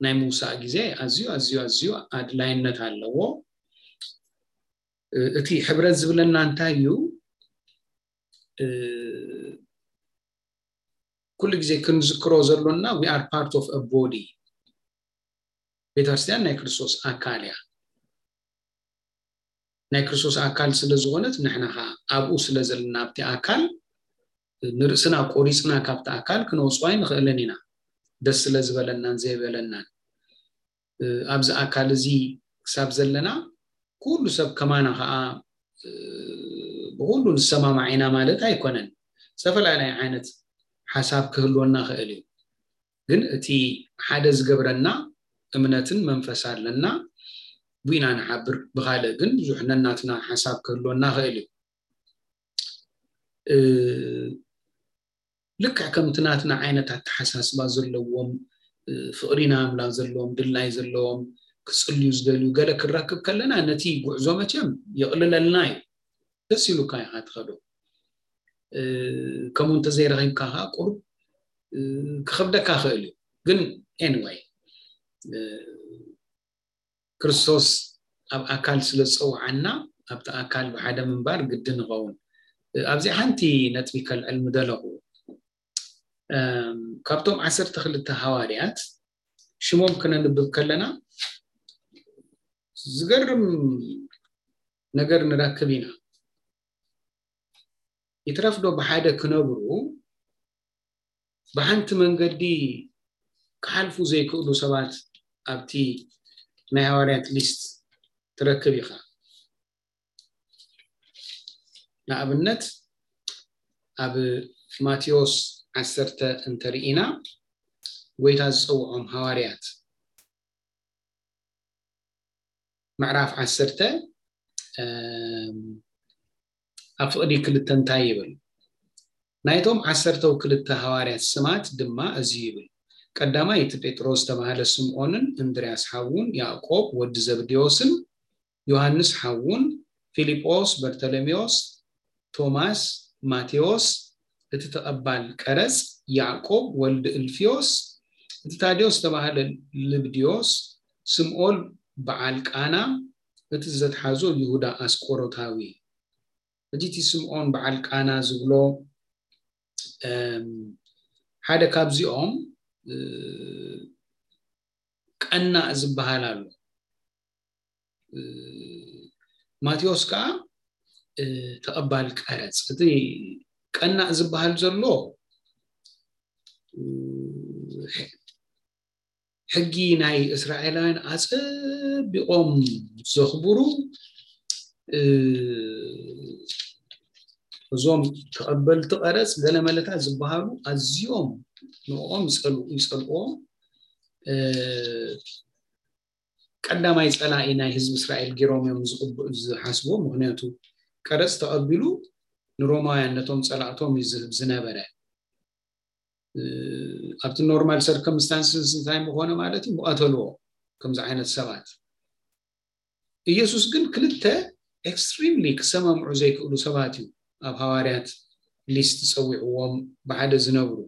ናይ ምውሳእ ግዜ ኣዝዩ ኣዝዩ ኣዝዩ ኣድላይነት ኣለዎ። እቲ ሕብረት ዝብለና እንታይ እዩ? ኩሉ ግዜ ክንዝክሮ ዘሎና we are part of a body። ቤተክርስትያን ናይ ክርስቶስ ኣካል እያ። ናይ ክርስቶስ ኣካል ስለ ዝኾነት ንሕና ኸዓ ኣብኡ ስለ ዘለና ኣብቲ ኣካል ንርእስና ቆሪፅና ካብቲ ኣካል ክነውፅኦ ኣይንኽእልን ኢና። ደስ ስለ ዝበለናን ዘይበለናን ኣብዚ ኣካል እዚ ክሳብ ዘለና ኩሉ ሰብ ከማና ኸዓ ብኩሉ ንሰማማዕ ኢና ማለት ኣይኮነን። ዝተፈላለየ ዓይነት ሓሳብ ክህልወና ክእል እዩ። ግን እቲ ሓደ ዝገብረና እምነትን መንፈስ ኣለና። ብኢና ንሓብር ብካልእ ግን ብዙሕ ነናትና ሓሳብ ክህልወና ክእል እዩ። ልክዕ ከምቲ ናትና ዓይነት ኣተሓሳስባ ዘለዎም ፍቕሪ ንኣምላኽ ዘለዎም ድላይ ዘለዎም ክጽልዩ ዝደልዩ ገለ ክንረክብ ከለና ነቲ ጉዕዞ መቸም የቕልለልና እዩ። ደስ ኢሉካ ኢኻ ትኸዶ። ከምኡ እንተዘይረኺብካ ከዓ ቁሩብ ክኸብደካ ክእል እዩ። ግን anyway ክርስቶስ ኣብ ኣካል ስለ ዝፀውዓና ኣብቲ ኣካል ብሓደ ምንባር ግድን ንኸውን። ኣብዚ ሓንቲ ነጥቢ ከልዕል ምደለኹ። ካብቶም ዓሰርተ ክልተ ሃዋርያት ሽሞም ክነንብብ ከለና ዝገርም ነገር ንረክብ ኢና። ይትረፍዶ ብሓደ ክነብሩ ብሓንቲ መንገዲ ክሓልፉ ዘይክእሉ ሰባት ኣብቲ ናይ ሃዋርያት ሊስት ትረክብ ኢኻ። ንኣብነት ኣብ ማቴዎስ ዓሰርተ እንተርኢና ጎይታ ዝፀውዖም ሃዋርያት ምዕራፍ ዓሰርተ ኣብ ፍቕዲ ክልተ እንታይ ይብል? ናይቶም ዓሰርተው ክልተ ሃዋርያት ስማት ድማ እዚ ይብል፣ ቀዳማይ እቲ ጴጥሮስ ዝተባህለ ስምዖንን እንድርያስ ሓዉን ያዕቆብ ወዲ ዘብዴዎስን ዮሃንስ ሓዉን ፊልጶስ በርተሎሜዎስ ቶማስ ማቴዎስ እቲ ተቐባል ቀረጽ ያዕቆብ ወልዲ እልፍዮስ እቲ ታዴዎስ ዝተባህለ ልብድዮስ ስምኦል በዓል ቃና እቲ ዘትሓዞ ይሁዳ ኣስቆሮታዊ። ሕጂ እቲ ስምኦን በዓል ቃና ዝብሎ ሓደ ካብዚኦም ቀናእ ዝበሃል ኣሎ። ማቴዎስ ከዓ ተቐባል ቀረፅ። እቲ ቀናእ ዝበሃል ዘሎ ሕጊ ናይ እስራኤላውያን ኣፀቢቖም ዘኽብሩ እዞም ተቐበልቲ ቀረፅ ገለመለታት ዝበሃሉ ኣዝዮም ንኦም ይፀልእዎም። ቀዳማይ ፀላኢ ናይ ህዝቢ እስራኤል ገይሮም እዮም ዝሓስቦ። ምክንያቱ ቀረፅ ተቐቢሉ ንሮማውያን ነቶም ፀላእቶም እዩ ዝህብ ዝነበረ። ኣብቲ ኖርማል ሰርከምስታንስስ እንታይ ምኾነ ማለት እዩ ምቐተልዎ ከምዚ ዓይነት ሰባት። ኢየሱስ ግን ክልተ ኤክስትሪምሊ ክሰማምዑ ዘይክእሉ ሰባት እዩ ኣብ ሃዋርያት ሊስት ፀዊዕዎም ብሓደ ዝነብሩ።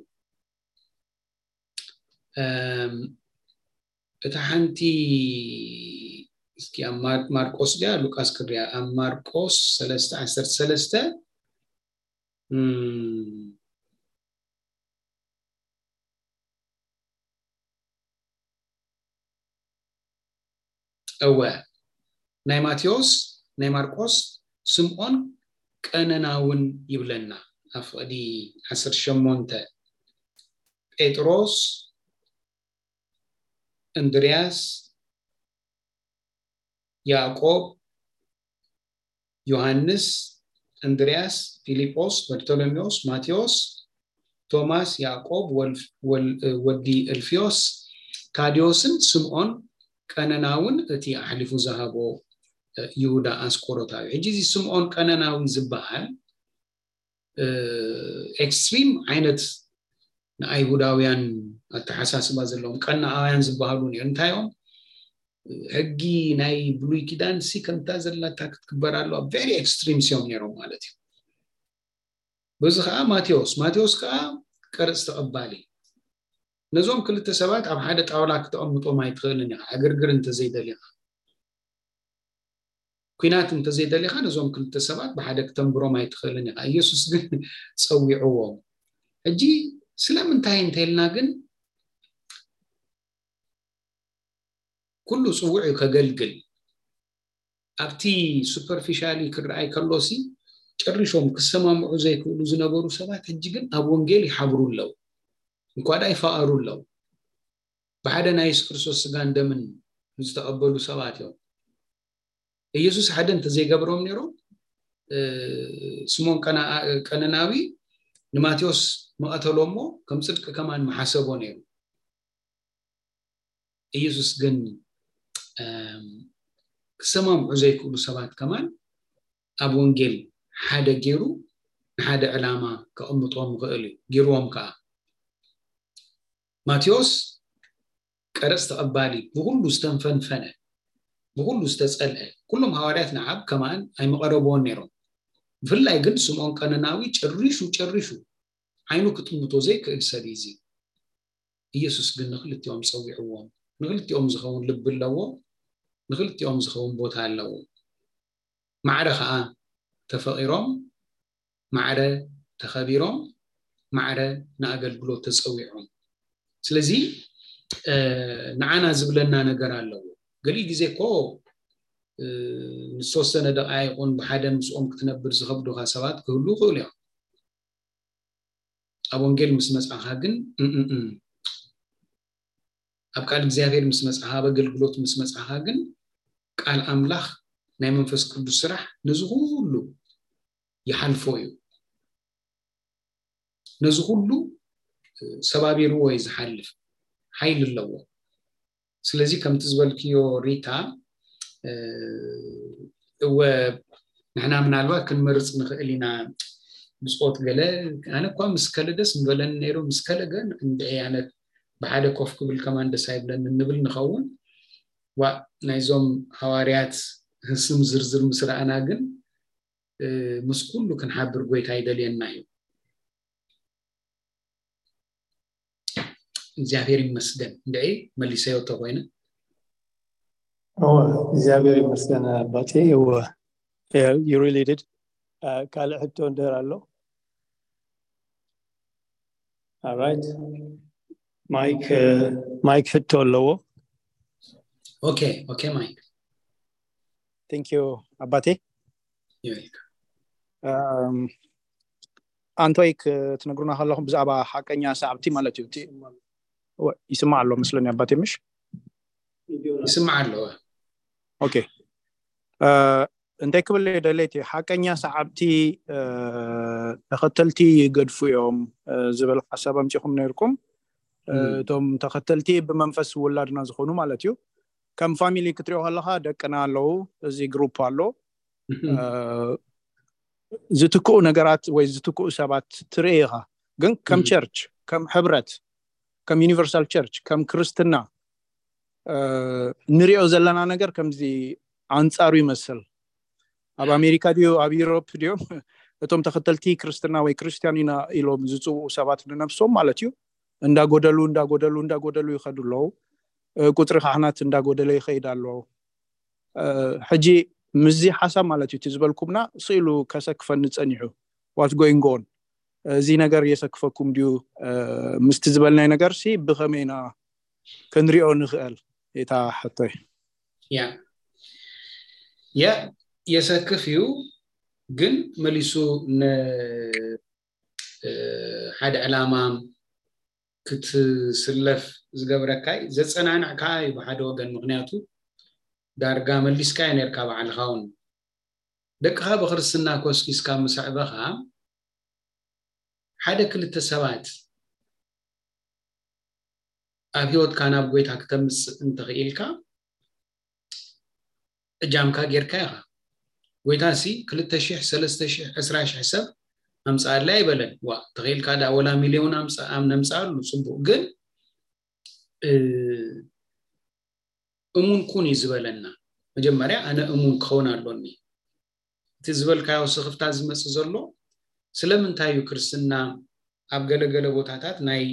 እታ ሓንቲ እስኪ ኣብ ማርቆስ ድያ ሉቃስ ክርያ ኣብ ማርቆስ ሰለስተ ዓሰርተ ሰለስተ እወ ናይ ማቴዎስ፣ ናይ ማርቆስ፣ ስምዖን ቀነናውን ይብለና። ኣብ ፍቕዲ ዓሰርተ ሸሞንተ፣ ጴጥሮስ፣ እንድርያስ፣ ያዕቆብ፣ ዮሃንስ፣ እንድርያስ፣ ፊልጶስ፣ በርቶሎሜዎስ፣ ማቴዎስ፣ ቶማስ፣ ያዕቆብ፣ ወል- ወል- ወዲ እልፍዮስ፣ ታዲዮስን ስምዖን ቀነናውን፣ እቲ ኣሕሊፉ ዝሃቦ ይሁዳ ኣስቆሮታዊ። ሕጂ እዚ ስምዖን ቀነናዊ ዝበሃል ኤክስትሪም ዓይነት ንኣይሁዳውያን ኣተሓሳስባ ዘለዎም ቀናኣውያን ዝበሃሉ ነይሩ። እንታይ እዮም? ሕጊ ናይ ብሉይ ኪዳን ሲ ከምታ ዘላታ ክትግበር ኣለዋ። ቨሪ ኤክስትሪምስ እዮም ነይሮም ማለት እዩ። በዚ ከዓ ማቴዎስ ማቴዎስ ከዓ ቀረፅ ተቐባሊ። ነዞም ክልተ ሰባት ኣብ ሓደ ጣውላ ክተቐምጦም ኣይትኽእልን ኢኻ፣ ዕግርግር እንተዘይደሊኻ፣ ኩናት እንተዘይደሊኻ፣ ነዞም ክልተ ሰባት ብሓደ ክተንብሮም ኣይትኽእልን ኢኻ። ኢየሱስ ግን ፀዊዕዎም። ሕጂ ስለምንታይ እንተልና ግን ኩሉ ፅውዕ እዩ ከገልግል። ኣብቲ ሱፐርፊሻሊ ክረኣይ ከሎሲ ጨሪሾም ክሰማምዑ ዘይክእሉ ዝነበሩ ሰባት ሕጂ ግን ኣብ ወንጌል ይሓብሩ ኣለዉ። እንኳ ደኣ ይፋቐሩ ኣለዉ። ብሓደ ናይ የሱስ ክርስቶስ ስጋን ደምን ዝተቐበሉ ሰባት እዮም። ኢየሱስ ሓደ እንተዘይገብሮም ነይሮም፣ ስሞን ቀነናዊ ንማቴዎስ መቐተሎ እሞ ከም ፅድቂ ከማን መሓሰቦ ነይሩ። ኢየሱስ ግን ክሰማምዑ ዘይክእሉ ሰባት ከማን ኣብ ወንጌል ሓደ ገይሩ ንሓደ ዕላማ ከቕምጦም ይኽእል እዩ። ገይርዎም ከዓ። ማቴዎስ ቀረፅ ተቐባሊ፣ ብኩሉ ዝተንፈንፈነ፣ ብኩሉ ዝተፀልአ። ኩሎም ሃዋርያት ንዓብ ከማን ኣይመቐረብዎን ነይሮም። ብፍላይ ግን ስምዖን ቀነናዊ ጨሪሹ ጨሪሹ ዓይኑ ክጥምቶ ዘይክእል ሰብ እዩ። ኢየሱስ ግን ንክልቲኦም ፀዊዕዎም። ንክልቲኦም ዝኸውን ልቢ ኣለዎ። ንክልቲኦም ዝኸውን ቦታ ኣለዎ። ማዕረ ከዓ ተፈቒሮም፣ ማዕረ ተኸቢሮም፣ ማዕረ ንኣገልግሎት ተፀዊዖም። ስለዚ ንዓና ዝብለና ነገር ኣለዎ። ገሊኡ ግዜ እኮ ንዝተወሰነ ደቃይቁን ብሓደ ምስኦም ክትነብር ዝኸብዱካ ሰባት ክህሉ ይኽእሉ እዮም። ኣብ ወንጌል ምስ መፃኻ ግን ኣብ ቃል እግዚኣብሔር ምስ መፃኻ፣ ኣብ ኣገልግሎት ምስ መፃኻ ግን ቃል ኣምላኽ፣ ናይ መንፈስ ቅዱስ ስራሕ ነዚ ኩሉ ይሓልፎ እዩ። ነዚ ኩሉ ሰባቢርዎ እዩ ዝሓልፍ። ሓይሊ ኣለዎ። ስለዚ ከምቲ ዝበልክዮ ሪታ፣ እወ ንሕና ምናልባት ክንመርፅ ንኽእል ኢና። ብፆት ገለ ኣነ እኳ ምስ ከለ ደስ ምበለኒ ነይሩ፣ ምስ ከለ ግን እንድዒ ኣነ ብሓደ ኮፍ ክብል ከማን ደስ ኣይብለኒ ንብል ንኸውን። ዋ ናይዞም ሃዋርያት ስም ዝርዝር ምስ ረኣና ግን ምስ ኩሉ ክንሓብር ጎይታ ይደልየና እዩ። እግዚኣብሔር ይመስገን። እንድዒ መሊሰዮ ተኮይነ። እወ እግዚኣብሔር ይመስገን ኣባቴ። እወ you really did። ካልእ ሕቶ እንድህር ኣሎ? Alright. ማይክ ማይክ ሕቶ ኣለዎ። Okay, okay, Mike. Thank you ኣባቴ። ኣንቶይ ክትነግሩና ከለኹም ብዛዕባ ሓቀኛ ሰዓብቲ ማለት እዩ። ይስማዕ ኣሎ መስለኒ ኣባቴ፣ ምሽ? ይስማዕ ኣለዎ። Okay. እንታይ ክብል ደለይቲ፣ ሓቀኛ ሰዓብቲ ተኸተልቲ ይገድፉ እዮም ዝብል ሓሳብ ኣምፂኹም ነይርኩም። እቶም ተኸተልቲ ብመንፈስ ውላድና ዝኾኑ ማለት እዩ። ከም ፋሚሊ ክትሪኦ ከለኻ ደቅና ኣለዉ፣ እዚ ግሩፕ ኣሎ። ዝትክኡ ነገራት ወይ ዝትክኡ ሰባት ትርኢ ኢኻ። ግን ከም ቸርች፣ ከም ሕብረት፣ ከም ዩኒቨርሳል ቸርች፣ ከም ክርስትና ንሪኦ ዘለና ነገር ከምዚ ኣንፃሩ ይመስል። ኣብ ኣሜሪካ ድዩ ኣብ ዩሮፕ ድዮም እቶም ተኸተልቲ ክርስትና ወይ ክርስቲያን ኢና ኢሎም ዝፅውኡ ሰባት ንነብሶም ማለት እዩ እንዳጎደሉ እንዳጎደሉ እንዳጎደሉ ይኸዱ ኣለዉ። ቁፅሪ ካህናት እንዳጎደለ ይኸይድ ኣሎ። ሕጂ ምስዚ ሓሳብ ማለት እዩ እቲ ዝበልኩምና ስኢሉ ከሰክፈኒ ፀኒሑ። What's going on? እዚ ነገር የሰክፈኩም ድዩ? ምስቲ ዝበልናይ ነገር ሲ ብኸመይ ኢና ክንሪኦ ንኽእል? እታ ሕቶይ። ያ የ የሰክፍ እዩ፣ ግን መሊሱ ን ሓደ ዕላማ ክትስለፍ ዝገብረካ እዩ። ዘጸናንዕ ከዓ እዩ ብሓደ ወገን። ምክንያቱ ዳርጋ መሊስካ እዩ ነርካ ባዕልኻ እውን። ደቅኻ ብክርስትና ኮስኪስካ ምስ ኣዕበኻ፣ ሓደ ክልተ ሰባት ኣብ ህይወትካ ናብ ጎይታ ክተምጽእ እንተኽኢልካ፣ እጃምካ ጌርካ ኢኻ። ጎይታ ሲ ክልተ ሽሕ፣ ሰለስተ ሽሕ፣ ዕስራ ሽሕ ሰብ ኣምጽኣለይ ኣይበለን። ዋ፣ ተኽኢልካ ዳ ወላ ሚልዮን ኣምጽ-፣ ኣም-፣ ነምጽኣሉ ጽቡቕ። ግን፣ እ፣ እሙን ኩን እዩ ዝበለና። መጀመርያ ኣነ እሙን ክኸውን ኣሎኒ። እቲ ዝበልካዮ ስኽፍታ ዝመጽእ ዘሎ ስለምንታይ እዩ ክርስትና ኣብ ገለገለ ቦታታት ናይ፣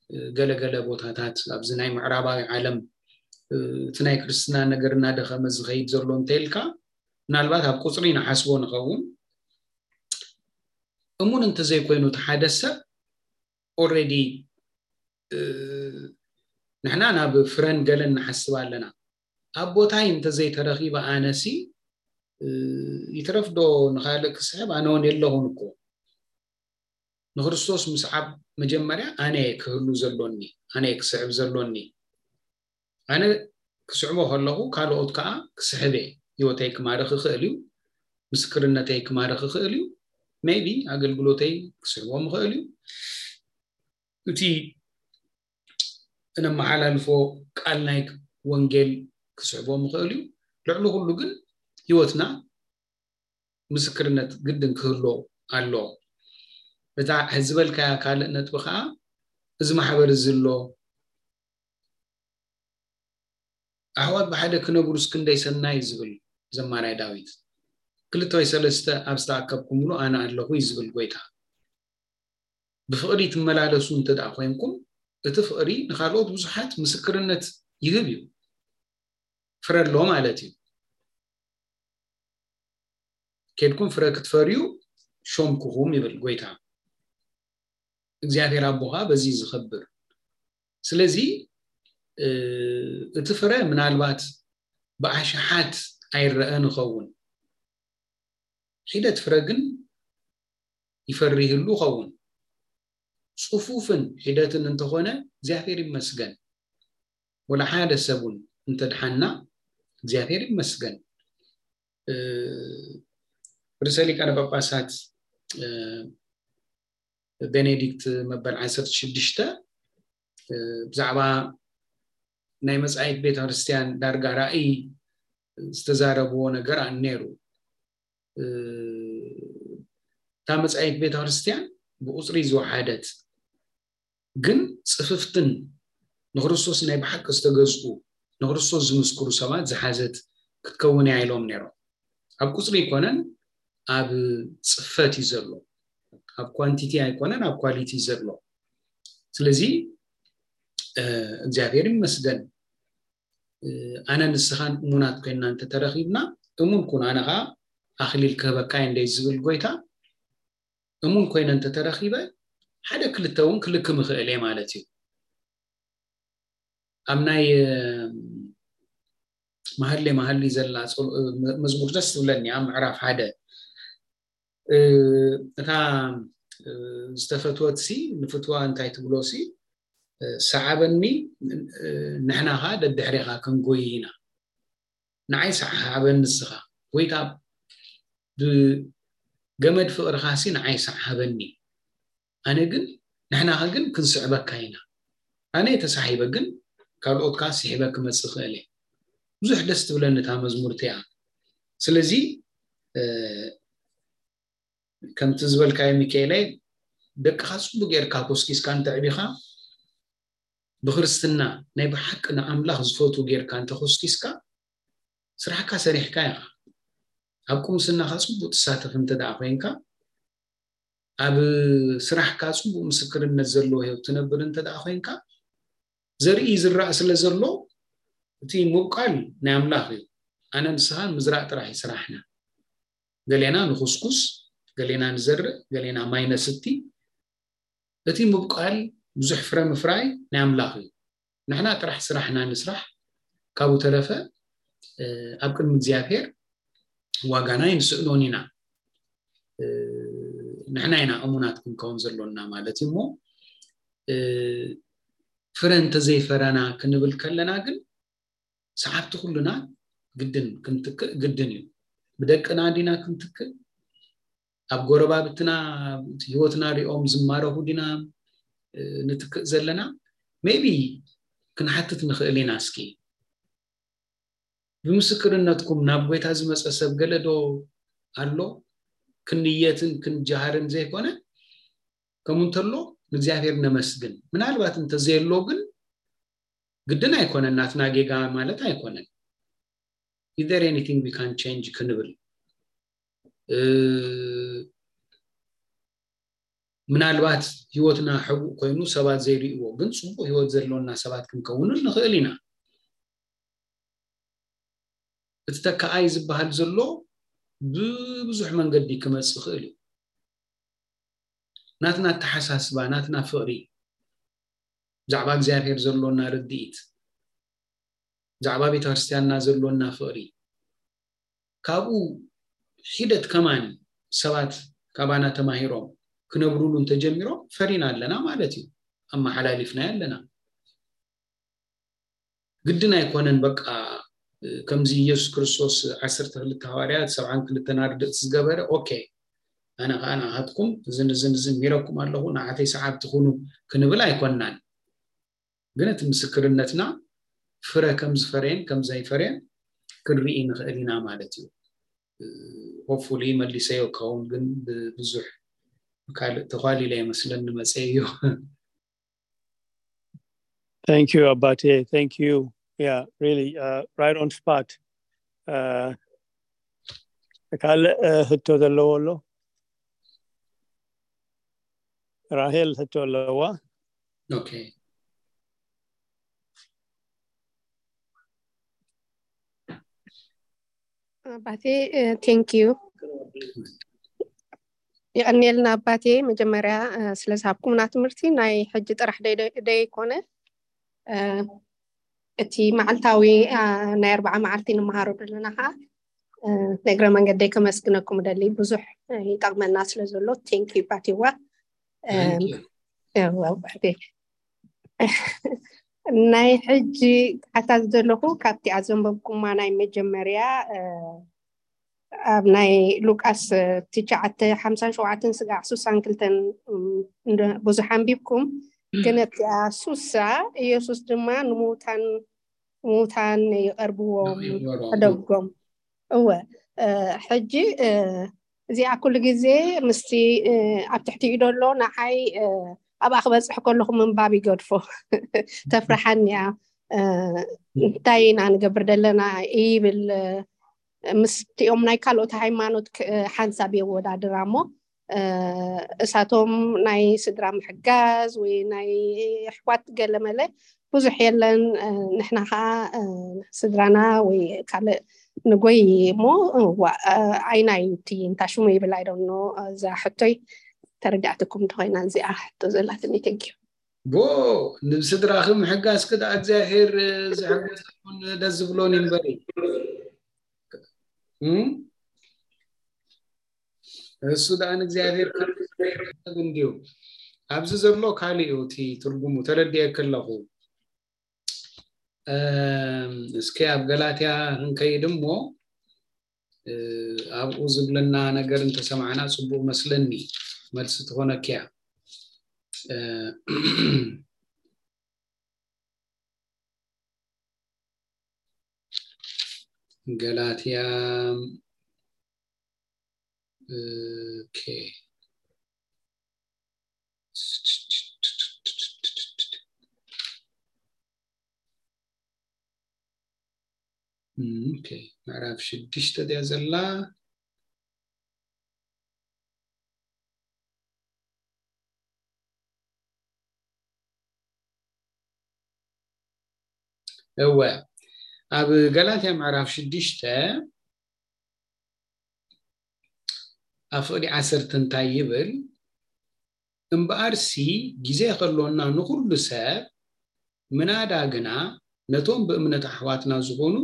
እ፣ ገለገለ ቦታታት ኣብዚ ናይ ምዕራባዊ ዓለም፣ እ፣ እቲ ናይ ክርስትና ነገር እናደኸመ ዝኸይድ ዘሎ እንተኢልካ፣ ምናልባት ኣብ ቁጽሪ ንሓስቦ ንኸውን። እሙን እንተዘይኮይኑ እቲ ሓደ ሰብ ኦልሬዲ፣ እ፣ ንሕና ናብ ፍረን ገለን ንሓስብ ኣለና። ኣብ ቦታይ እንተዘይተረኺበ ኣነሲ፣ እ፣ ይትረፍ ዶ ንኻልእ ክስዕብ? ኣነ እውን የለኹን እኮ። ንክርስቶስ ምስዓብ መጀመርያ ኣነ እየ ክህሉ ዘሎኒ፣ ኣነ እየ ክስዕብ ዘሎኒ። ኣነ ክስዕቦ ከለኹ ካልኦት ከዓ ክስሕብ እየ። ህይወተይ ክማርኽ ይኽእል እዩ፣ ምስክርነተይ ክማርኽ ይኽእል እዩ፣ ሜይቢ ኣገልግሎተይ ክስዕቦም ይኽእል እዩ። እቲ እነመሓላልፎ ቃል ናይ ወንጌል ክስዕቦም ይኽእል እዩ። ልዕሊ ኩሉ ግን ህይወትና ምስክርነት ግድን ክህሎ ኣሎ። እታ ዝበልካያ ካልእ ነጥቢ ከዓ፣ እዚ ማሕበር እዚ ኣሎ፣ ኣሕዋት ብሓደ ክነብሩስ ክንደይ ሰናይ ዝብል ዘማራይ ዳዊት። ክልተ ወይ ሰለስተ ኣብ ዝተኣከብኩምሉ ኣነ ኣለኹ እዩ ዝብል ጎይታ። ብፍቕሪ ትመላለሱ እንተ ደኣ ኮይንኩም፣ እቲ ፍቕሪ ንኻልኦት ብዙሓት ምስክርነት ይህብ እዩ። ፍረ ኣሎ ማለት እዩ። ኬድኩም ፍረ ክትፈርዩ ሾምኩኹም ይብል ጎይታ። እግዚኣብሔር ኣቦኻ በዚ ዝኸብር። ስለዚ፣ እ፣ እቲ ፍረ ምናልባት ብኣሽሓት ኣይረአን ይኸውን። ሒደት ፍረ ግን ይፈሪ ይህሉ ይኸውን። ጽፉፍን ሒደትን እንተኾነ እግዚኣብሔር ይመስገን። ወላ ሓደ ሰብ እውን እንተድሓና እግዚኣብሔር ይመስገን። እ፣ ርእሰ ሊቃነ ጳጳሳት፣ እ፣ ቤኔዲክት መበል ዓሰርተ ሽዱሽተ፣ እ፣ ብዛዕባ ናይ መጻኢት ቤተ ክርስቲያን ዳርጋ ራእይ ዝተዛረብዎ ነገር ነይሩ። እ፣ እታ መጻኢት ቤተ ክርስቲያን ብቁጽሪ ዝወሓደት፣ ግን ጽፍፍትን ንክርስቶስ ናይ ብሓቂ ዝተገዝኡ፣ ንክርስቶስ ዝምስክሩ ሰባት ዝሓዘት ክትከውን እያ ኢሎም ነይሮም። ኣብ ቁጽሪ ኣይኮነን፣ ኣብ ጽፈት እዩ ዘሎ። ኣብ ኳንቲቲ ኣይኮነን፣ ኣብ ኳሊቲ እዩ ዘሎ። ስለዚ፣ እ፣ እግዚኣብሔር ይመስገን። እ፣ ኣነ ንስኻን እሙናት ኮይንና እንተተረኺብና፣ እሙን ኩን፣ ኣነ ኸዓ ኣኽሊል ክህበካ እየ እንደ ዝብል ጎይታ፣ እሙን ኮይነ እንተተረኺበ፣ ሓደ ክልተ እውን ክልክም ይኽእል እየ ማለት እዩ። ኣብ ናይ፣ እ፣ መሃሌ መሃሊ ዘላ ጸሎ-፣ እ፣ መ-፣ መዝሙር ደስ ትብለኒ፣ ኣብ ምዕራፍ ሓደ። እ፣ እታ፣ እ፣ ዝተፈትወት ሲ፣ ንፍትዋ እንታይ ትብሎ ሲ፣ እ፣ ሰዓበኒ፣ እ፣ ንሕና ኸዓ ደድሕሬኻ ክንጎይ ኢና። ንዓይ ሰዓበኒ ንስኻ። ጎይታ፣ ብገመድ ፍቕርኻ ሲ ንዓይ ሰዓበኒ። ኣነ ግን፣ ንሕናኸ ግን ክንስዕበካ ኢና። ኣነ ተሳሒበ ግን ካልኦት ከኣ ስሒበ ክመጽእ እኽእል እየ። ብዙሕ ደስ ትብለኒ እታ መዝሙር እቲኣ። ስለዚ፣ እ፣ ከምቲ ዝበልካዮ ሚካኤለይ፣ ደቅኻ ጽቡቅ ጌርካ ኮስኪስካ እንተዕቢኻ፣ ብክርስትና ናይ ብሓቂ ንኣምላኽ ዝፈትዉ ጌርካ እንተኾስኪስካ፣ ስራሕካ ሰሪሕካ ኢኻ። ኣብ ቁምስናኻ ጽቡቅ ትሳተፍ እንተ ደኣ ኮይንካ፣ ኣብ ስራሕካ ጽቡቅ ምስክርነት ዘለዎ ህይወት ትነብር እንተ ደኣ ኮይንካ፣ ዘርኢ ዝራእ ስለ ዘሎ፣ እቲ ምብቃል ናይ ኣምላኽ እዩ። ኣነ ንስኻን ምዝራእ ጥራሕ እዩ ስራሕና። ገሌና ንኹስኩስ፣ ገሌና ንዘርእ፣ ገሌና ማይ ነስቲ። እቲ ምብቃል ብዙሕ ፍረ ምፍራይ ናይ ኣምላኽ እዩ። ንሕና ጥራሕ ስራሕና ንስራሕ፣ ካብኡ ተረፈ፣ እ፣ ኣብ ቅድሚ እግዚኣብሔር ዋጋና ኣይንስእኖን ኢና። ንሕና ኢና እሙናት ክንከውን ዘሎና ማለት እዩ። እሞ ፍረ እንተዘይፈረና ክንብል ከለና ግን ሰዓብቲ ኩሉና ግድን ክንትክእ ግድን እዩ። ብደቅና ዲና ክንትክእ? ኣብ ጎረባብትና ህይወትና ሪኦም ዝማረኹ ዲና ንትክእ ዘለና? ሜቢ ክንሓትት ንኽእል ኢና። እስኪ፣ ብምስክርነትኩም ናብ ጎይታ ዝመፀ ሰብ ገለ ዶ ኣሎ? ክንየትን ክንጀሃርን ዘይኮነ፣ ከምኡ እንተሎ ንእግዚኣብሔር ነመስግን። ምናልባት እንተዘየሎ ግን ግድን ኣይኮነን፣ ናትና ጌጋ ማለት ኣይኮነን። Is there anything we can change ክንብል፣ ምናልባት ህይወትና ሕቡእ ኮይኑ ሰባት ዘይርእይዎ ግን ፅቡቅ ህይወት ዘሎና ሰባት ክንከውንን ንኽእል ኢና። እቲ ተካኣይ ዝበሃል ዘሎ ብብዙሕ መንገዲ ክመፅእ ይኽእል እዩ። ናትና ኣተሓሳስባ፣ ናትና ፍቕሪ፣ ብዛዕባ እግዚኣብሔር ዘሎና ርድኢት፣ ብዛዕባ ቤተ ክርስቲያንና ዘሎና ፍቕሪ፣ ካብኡ ሒደት ከማን ሰባት ካባና ተማሂሮም ክነብሩሉ እንተጀሚሮም ፈሪና ኣለና ማለት እዩ። ኣመሓላሊፍናዮ ኣለና። ግድን ኣይኮነን። በቃ ከምዚ ኢየሱስ ክርስቶስ ዓሰርተ ክልተ ሃዋርያት ሰብዓን ክልተን ኣርድእቲ ዝገበረ፣ ኦኬ፣ ኣነ ከዓ ንኣኻትኩም እዝን እዝን እዝን ሚረኩም ኣለኹ፣ ንዓተይ ሰዓብቲ ኩኑ ክንብል ኣይኮንናን። ግን እቲ ምስክርነትና ፍረ ከም ዝፈረየን ከም ዘይፈረየን ክንርኢ ንኽእል ኢና ማለት እዩ። ሆፕፉሊ መሊሰዮ ክኸውን፣ ግን ብብዙሕ ካልእ ተኳሊለ ይመስለኒ መፀ እዩ። Thank you, Abate. Thank you. Yeah, really, uh, right on spot. Uh, ካልእ ሕቶ ዘለዎ ኣሎ? ራሄል ሕቶ ኣለዋ። ኦኬ። ኣባቴ፣ ቴንክ ዩ። የቐንየልና ኣባቴ፣ መጀመርያ ስለ ዝሃብኩምና ትምህርቲ። ናይ ሕጂ ጥራሕ ደይኮነ፣ እቲ መዓልታዊ ናይ ኣርባዓ መዓልቲ ንመሃሮ ዘለና ከዓ ንእግረ መንገደይ ከመስግነኩም እደሊ። ብዙሕ ይጠቕመና ስለ ዘሎ። ቴንክ ዩ ኣባቴዋ። ናይ ሕጂ ክሓታ ዝደለኹ፣ ካብቲ ኣዘንበብኩማ ናይ መጀመርያ ኣብ ናይ ሉቃስ ትሽዓተ ሓምሳን ሸውዓተን ስጋዕ ሱሳን ክልተን ብዙሕ ኣንቢብኩም፣ ግን ኣብቲኣ ሱሳ ኢየሱስ ድማ ንምውታን ምውታን ይቐርብዎም፣ ሕደጎም። እወ፣ ሕጂ እዚኣ ኩሉ ግዜ ምስቲ ኣብ ትሕቲኡ ደሎ ንዓይ ኣብኣ ክበፅሕ ከለኹ ምንባብ ይገድፎ። ተፍርሓኒ እያ። እንታይ ኢና ንገብር ዘለና ይብል፣ ምስቲኦም ናይ ካልኦት ሃይማኖት ሓንሳብ የወዳድራ እሞ፣ እሳቶም ናይ ስድራ ምሕጋዝ ወይ ናይ ኣሕዋት ገለመለ ብዙሕ የለን። ንሕና ከዓ ስድራና ወይ ካልእ ንጎይ እሞ ኣይና እዩ እቲ እንታ ሽሙ ይብል ኣይደኖ። እዛ ሕቶይ ተረዳዕትኩም እንተኮይና እዚኣ ሕቶ ዘላትኒ። ቴንኪዩ። ቦ ንስድራኺ ምሕጋዝኪ ደኣ እግዚኣብሔር ዝሕገዘኩን ደስ ዝብሎን እዩ እምበሪ። እሱ ደኣ ንእግዚኣብሔር ክብ እንድዩ። ኣብዚ ዘሎ ካልእ እዩ እቲ ትርጉሙ፣ ተረዲኤኪ ኣለኹ። እስኪ ኣብ ገላትያ ክንከይድ እሞ ኣብኡ ዝብለና ነገር እንተሰማዕና ጽቡቕ መስለኒ። መልሲ ትኾነኪያ። ገላትያ። ኦኬ። ኦኬ፣ ምዕራፍ ሽዱሽተ ድያ ዘላ? እወ፣ ኣብ ገላትያ ምዕራፍ ሽዱሽተ ኣብ ፍቕዲ ዓሰርተ እንታይ ይብል? እምበኣርሲ ግዜ ከሎና ንኹሉ ሰብ፣ ምናዳ ግና ነቶም ብእምነት ኣሕዋትና ዝኾኑ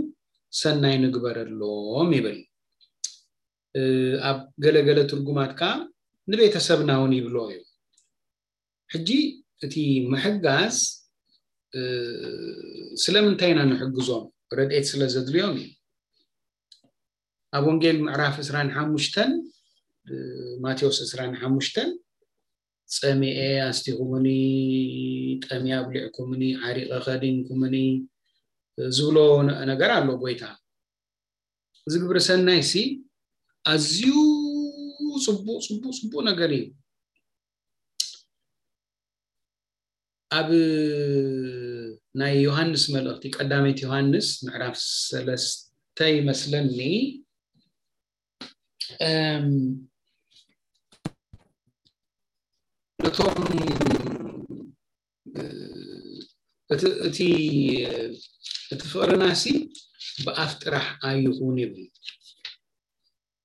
ሰናይ ንግበረሎም ይብል። ኣብ ገለገለ ትርጉማት ከዓ ንቤተሰብና እውን ይብሎ እዩ። ሕጂ እቲ ምሕጋዝ ስለምንታይ ኢና ንሕግዞም? ረድኤት ስለ ዘድልዮም እዩ። ኣብ ወንጌል ምዕራፍ ዕስራን ሓሙሽተን ማቴዎስ ዕስራን ሓሙሽተን ጸሚኤ ኣስቲኹምኒ፣ ጠምየ ኣብሊዕኩምኒ፣ ዓሪቐ ከዲንኩምኒ ዝብሎ ነገር ኣሎ ጎይታ። እዚ ግብሪ ሰናይ ሲ ኣዝዩ ጽቡቕ ጽቡቕ ጽቡቕ ነገር እዩ። ኣብ ናይ ዮሃንስ መልእኽቲ ቀዳመይቲ ዮሃንስ ምዕራፍ ሰለስተ ይመስለኒ ነቶም እቲ እቲ ፍቕርናሲ ብኣፍ ጥራሕ ኣይኹን ይብል።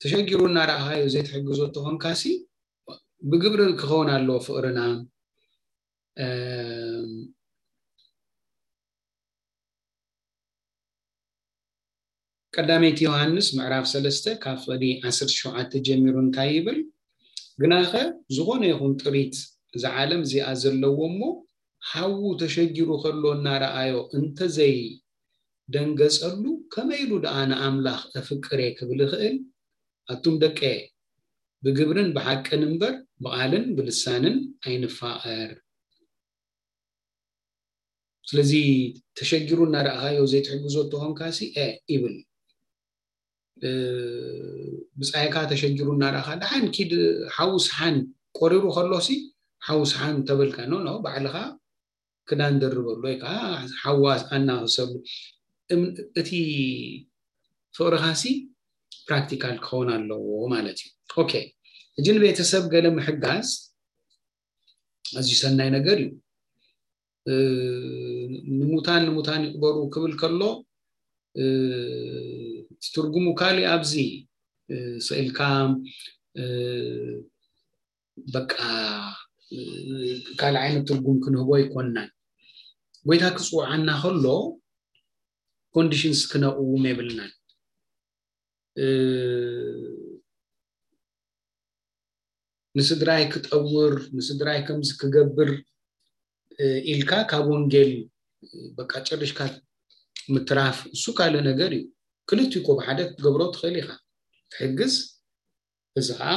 ተሸጊሩ እናረኣኻዮ ዘይትሕግዞ ተኾንካሲ ብግብሪ ክኸውን ኣለዎ ፍቕርና። ቀዳመይቲ ዮሃንስ ምዕራፍ ሰለስተ ካብ ፍቕዲ ዓሰርተ ሸውዓተ ጀሚሩ እንታይ ይብል? ግናኸ ዝኾነ ይኹን ጥሪት እዛ ዓለም እዚኣ ዘለዎ እሞ ሓዉ ተሸጊሩ ከሎ እናረኣዮ እንተዘይ ደንገጸሉ ከመይ ኢሉ ደኣ ንኣምላኽ እፍቅር እየ ክብል ይኽእል? ኣቱም ደቀየ፣ ብግብርን ብሓቅን እምበር ብቓልን ብልሳንን ኣይንፋቐር። ስለዚ ተሸጊሩ እናረኣኻዮ ዘይትሕግዞ ተኾንካሲ እ ይብል። ብጻይካ ተሸጊሩ እናረኣኻ ደሓን ኪድ ሓውስ ሓን ቆሪሩ ከሎሲ ሓውስ ሓን ተበልካ ኖ ኖ ባዕልኻ ክዳን ደርበሉ ወይ ከዓ ሓዋስ ኣናኽሰሉ። እቲ ፍቕርኻሲ ፕራክቲካል ክኸውን ኣለዎ ማለት እዩ። ኦኬ፣ ሕጂ ንቤተሰብ ገለ ምሕጋዝ ኣዝዩ ሰናይ ነገር እዩ። ንሙታን ንሙታን ይቕበሩ ክብል ከሎ ትርጉሙ ካሊእ ኣብዚ ስኢልካ በቃ ካልእ ዓይነት ትርጉም ክንህቦ ኣይኮንናን። ጎይታ ክፅውዓና ከሎ ኮንዲሽንስ ክነቕውም የብልናን። ንስድራይ ክጠውር፣ ንስድራይ ከምዚ ክገብር ኢልካ ካብ ወንጌል በቃ ጨሪሽካ ምትራፍ እሱ ካልእ ነገር እዩ። ክልቲኡ እኮ ብሓደ ክትገብሮ ትኽእል ኢኻ። ትሕግዝ፣ እዚ ከዓ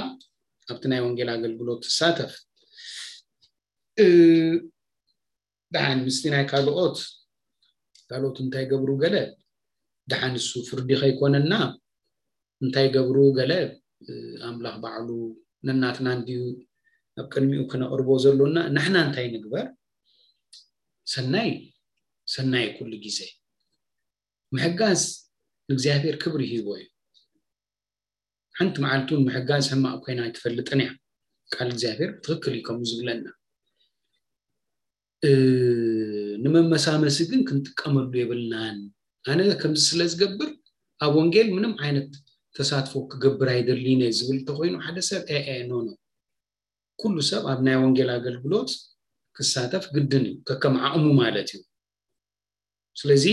ኣብቲ ናይ ወንጌል ኣገልግሎት ትሳተፍ። ደሓን ምስቲ ናይ ካልኦት ካልኦት እንታይ ገብሩ ገለ ደሓን እሱ ፍርዲ ከይኮነና እንታይ ገብሩ ገለ ኣምላኽ ባዕሉ ነናትና እንድዩ ኣብ ቅድሚኡ ክነቕርቦ ዘሎና። ንሕና እንታይ ንግበር? ሰናይ ሰናይ ኩሉ ግዜ ምሕጋዝ ንእግዚኣብሔር ክብሪ ሂቦ እዩ። ሓንቲ መዓልቲ እውን ምሕጋዝ ሕማቕ ኮይና ኣይትፈልጥን እያ። ቃል እግዚኣብሔር ብትኽክል እዩ ከምኡ ዝብለና። ንመመሳመሲ ግን ክንጥቀመሉ የብልናን። ኣነ ከምዚ ስለ ዝገብር ኣብ ወንጌል ምንም ዓይነት ተሳትፎ ክገብር ኣይደልይን እየ ዝብል እንተኮይኑ ሓደ ሰብ ኤ ኤ ኖ ኖ፣ ኩሉ ሰብ ኣብ ናይ ወንጌል ኣገልግሎት ክሳተፍ ግድን እዩ፣ ከከም ዓቕሙ ማለት እዩ። ስለዚ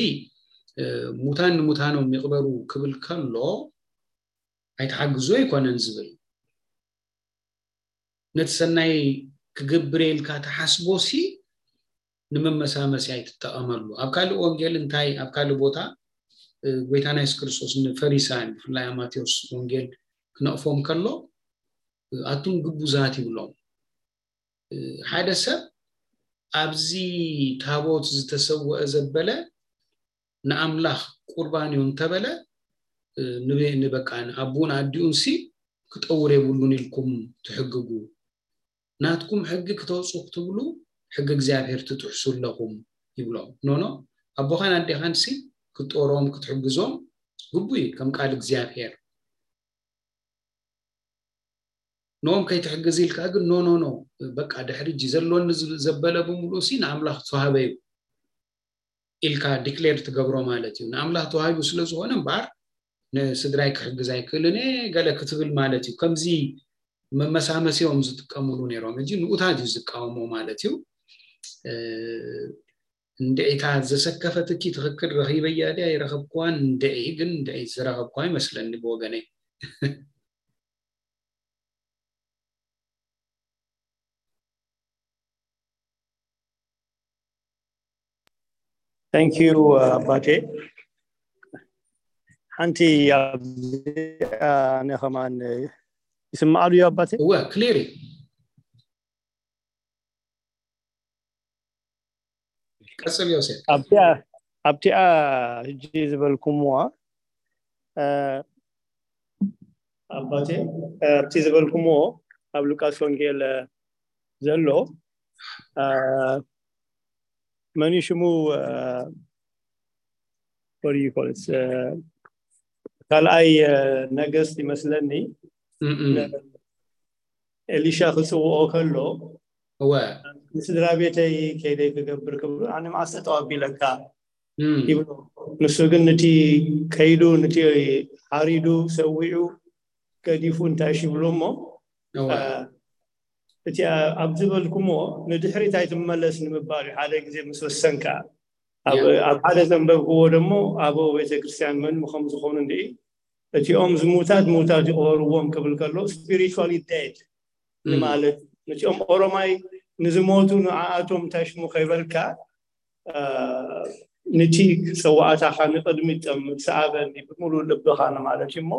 ሙታን ንሙታኖም ይቕበሩ ክብል ከሎ ኣይትሓግዙ ኣይኮነን ዝብል፣ ነቲ ሰናይ ክገብር ኢልካ ተሓስቦሲ ንመመሳመሲ ኣይትጠቐመሉ። ኣብ ካልእ ወንጌል እንታይ ኣብ ካልእ ቦታ ጎይታና የሱስ ክርስቶስ ንፈሪሳውያን ብፍላይ ኣብ ማቴዎስ ወንጌል ክነቕፎም ከሎ ኣቱም ግቡዛት ይብሎም። ሓደ ሰብ ኣብዚ ታቦት ዝተሰወአ ዘበለ ንኣምላኽ ቁርባን እዩ እንተበለ ንበቃ ንኣቡን ኣዲኡን ሲ ክጠውር የብሉን ኢልኩም ትሕግጉ፣ ናትኩም ሕጊ ክተውፁ ክትብሉ ሕጊ እግዚኣብሔር ትጥሕሱ ኣለኹም ይብሎም። ኖኖ ኣቦኻን ኣዴኻን ሲ ክትጦሮም ክትሕግዞም ግቡ እዩ ከም ቃል እግዚኣብሔር። ኖም ከይትሕግዝ ኢልካ ግን ኖ ኖ ኖ በቃ ድሕሪ እጂ ዘሎኒ ዘበለ ብምሉእ ሲ ንኣምላኽ ተዋህበ እዩ ኢልካ ዲክሌር ትገብሮ ማለት እዩ። ንኣምላኽ ተዋሂቡ ስለ ዝኾነ እምበኣር ንስድራይ ክሕግዝ ኣይክእልን እየ ገለ ክትብል ማለት እዩ። ከምዚ መመሳመሲኦም ዝጥቀምሉ ነይሮም። እጂ ንኡታት እዩ ዝቃወሞ ማለት እዩ። እንድዒታ ዘሰከፈትኪ ትኽክል ረኺበያ ድያ ይረኸብክዋን እንድዒ ግን እንድዒ ዝረኸብክዋ ይመስለኒ ብወገነይ። Thank you, ኣባቴ። ሓንቲ ኣብዚኣ ንኸማን ይስማዕ ድዩ ኣባቴ? እወ፣ ክሊር እዩ። ቀጽል ዮሴፍ። ኣብቲኣ ኣብቲኣ ሕጂ ዝበልኩምዋ ኣባቴ፣ ኣብቲ ዝበልኩምዎ ኣብ ሉቃስ ወንጌል ዘሎ መን ሽሙ ካልኣይ ነገስት ይመስለኒ፣ ኤሊሻ ክፅውኦ ከሎ፣ እወ ንስድራ ቤተይ ከይደይ ክገብር ክብሉ፣ ኣነ መዓስ ጠጠው ኣቢለካ ይብሎ። ንሱ ግን ንቲ ከይዱ፣ ንቲ ሓሪዱ ሰዊዑ ገዲፉ እንታይ ሽብሎ እሞ፣ እቲ ኣብ ዝበልኩሞ ንድሕሪት ኣይትመለስ ንምባል እዩ። ሓደ ግዜ ምስ ወሰንካ፣ ኣብ ሓደ ዘንበብክዎ ደሞ፣ ኣበው ቤተክርስትያን መን ከም ዝኾኑ እንዲ፣ እቲኦም ዝሙታት ሙታት ይቕበርዎም ክብል ከሎ፣ spiritually dead ንማለት፣ ነቲኦም ኦሮማይ ንዝሞቱ ንዓኣቶም እንታይ ሽሙ ከይበልካ፣ ንቲ ፀዋዕታኻ ንቕድሚት ጠምት፣ ሰኣበኒ ብምሉእ ልብኻ ንማለት እዩ እሞ፣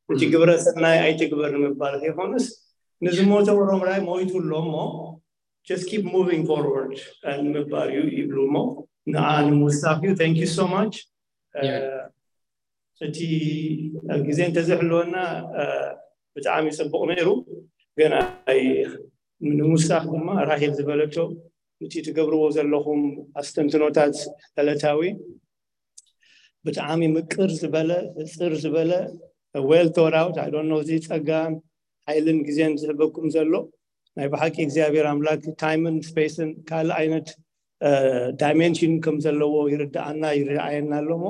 እቲ ግብረ ሰናይ ኣይትግበር ንምባል ከይኮንስ፣ ንዝሞተ ኦሮማይ ሞይቱ ኣሎ እሞ፣ just keep moving forward ንምባል እዩ ይብሉ እሞ፣ ንዓ ንምውሳኽ እዩ። Thank you so much። እቲ ግዜ እንተዘይሕልወና ብጣዕሚ ፅቡቕ ነይሩ። ግን ንምውሳኽ ድማ ራሄል ዝበለቶ፣ እቲ ትገብርዎ ዘለኹም ኣስተንትኖታት ዕለታዊ ብጣዕሚ ምቅር ዝበለ፣ ሕፅር ዝበለ፣ well thought out። I don't know፣ እዚ ፀጋን ሓይልን ግዜን ዝህበኩም ዘሎ ናይ ብሓቂ እግዚኣብሔር ኣምላክ ታይምን ስፔስን ካልእ ዓይነት ዳይሜንሽን ከም ዘለዎ ይርድኣና፣ ይረኣየና ኣሎ። እሞ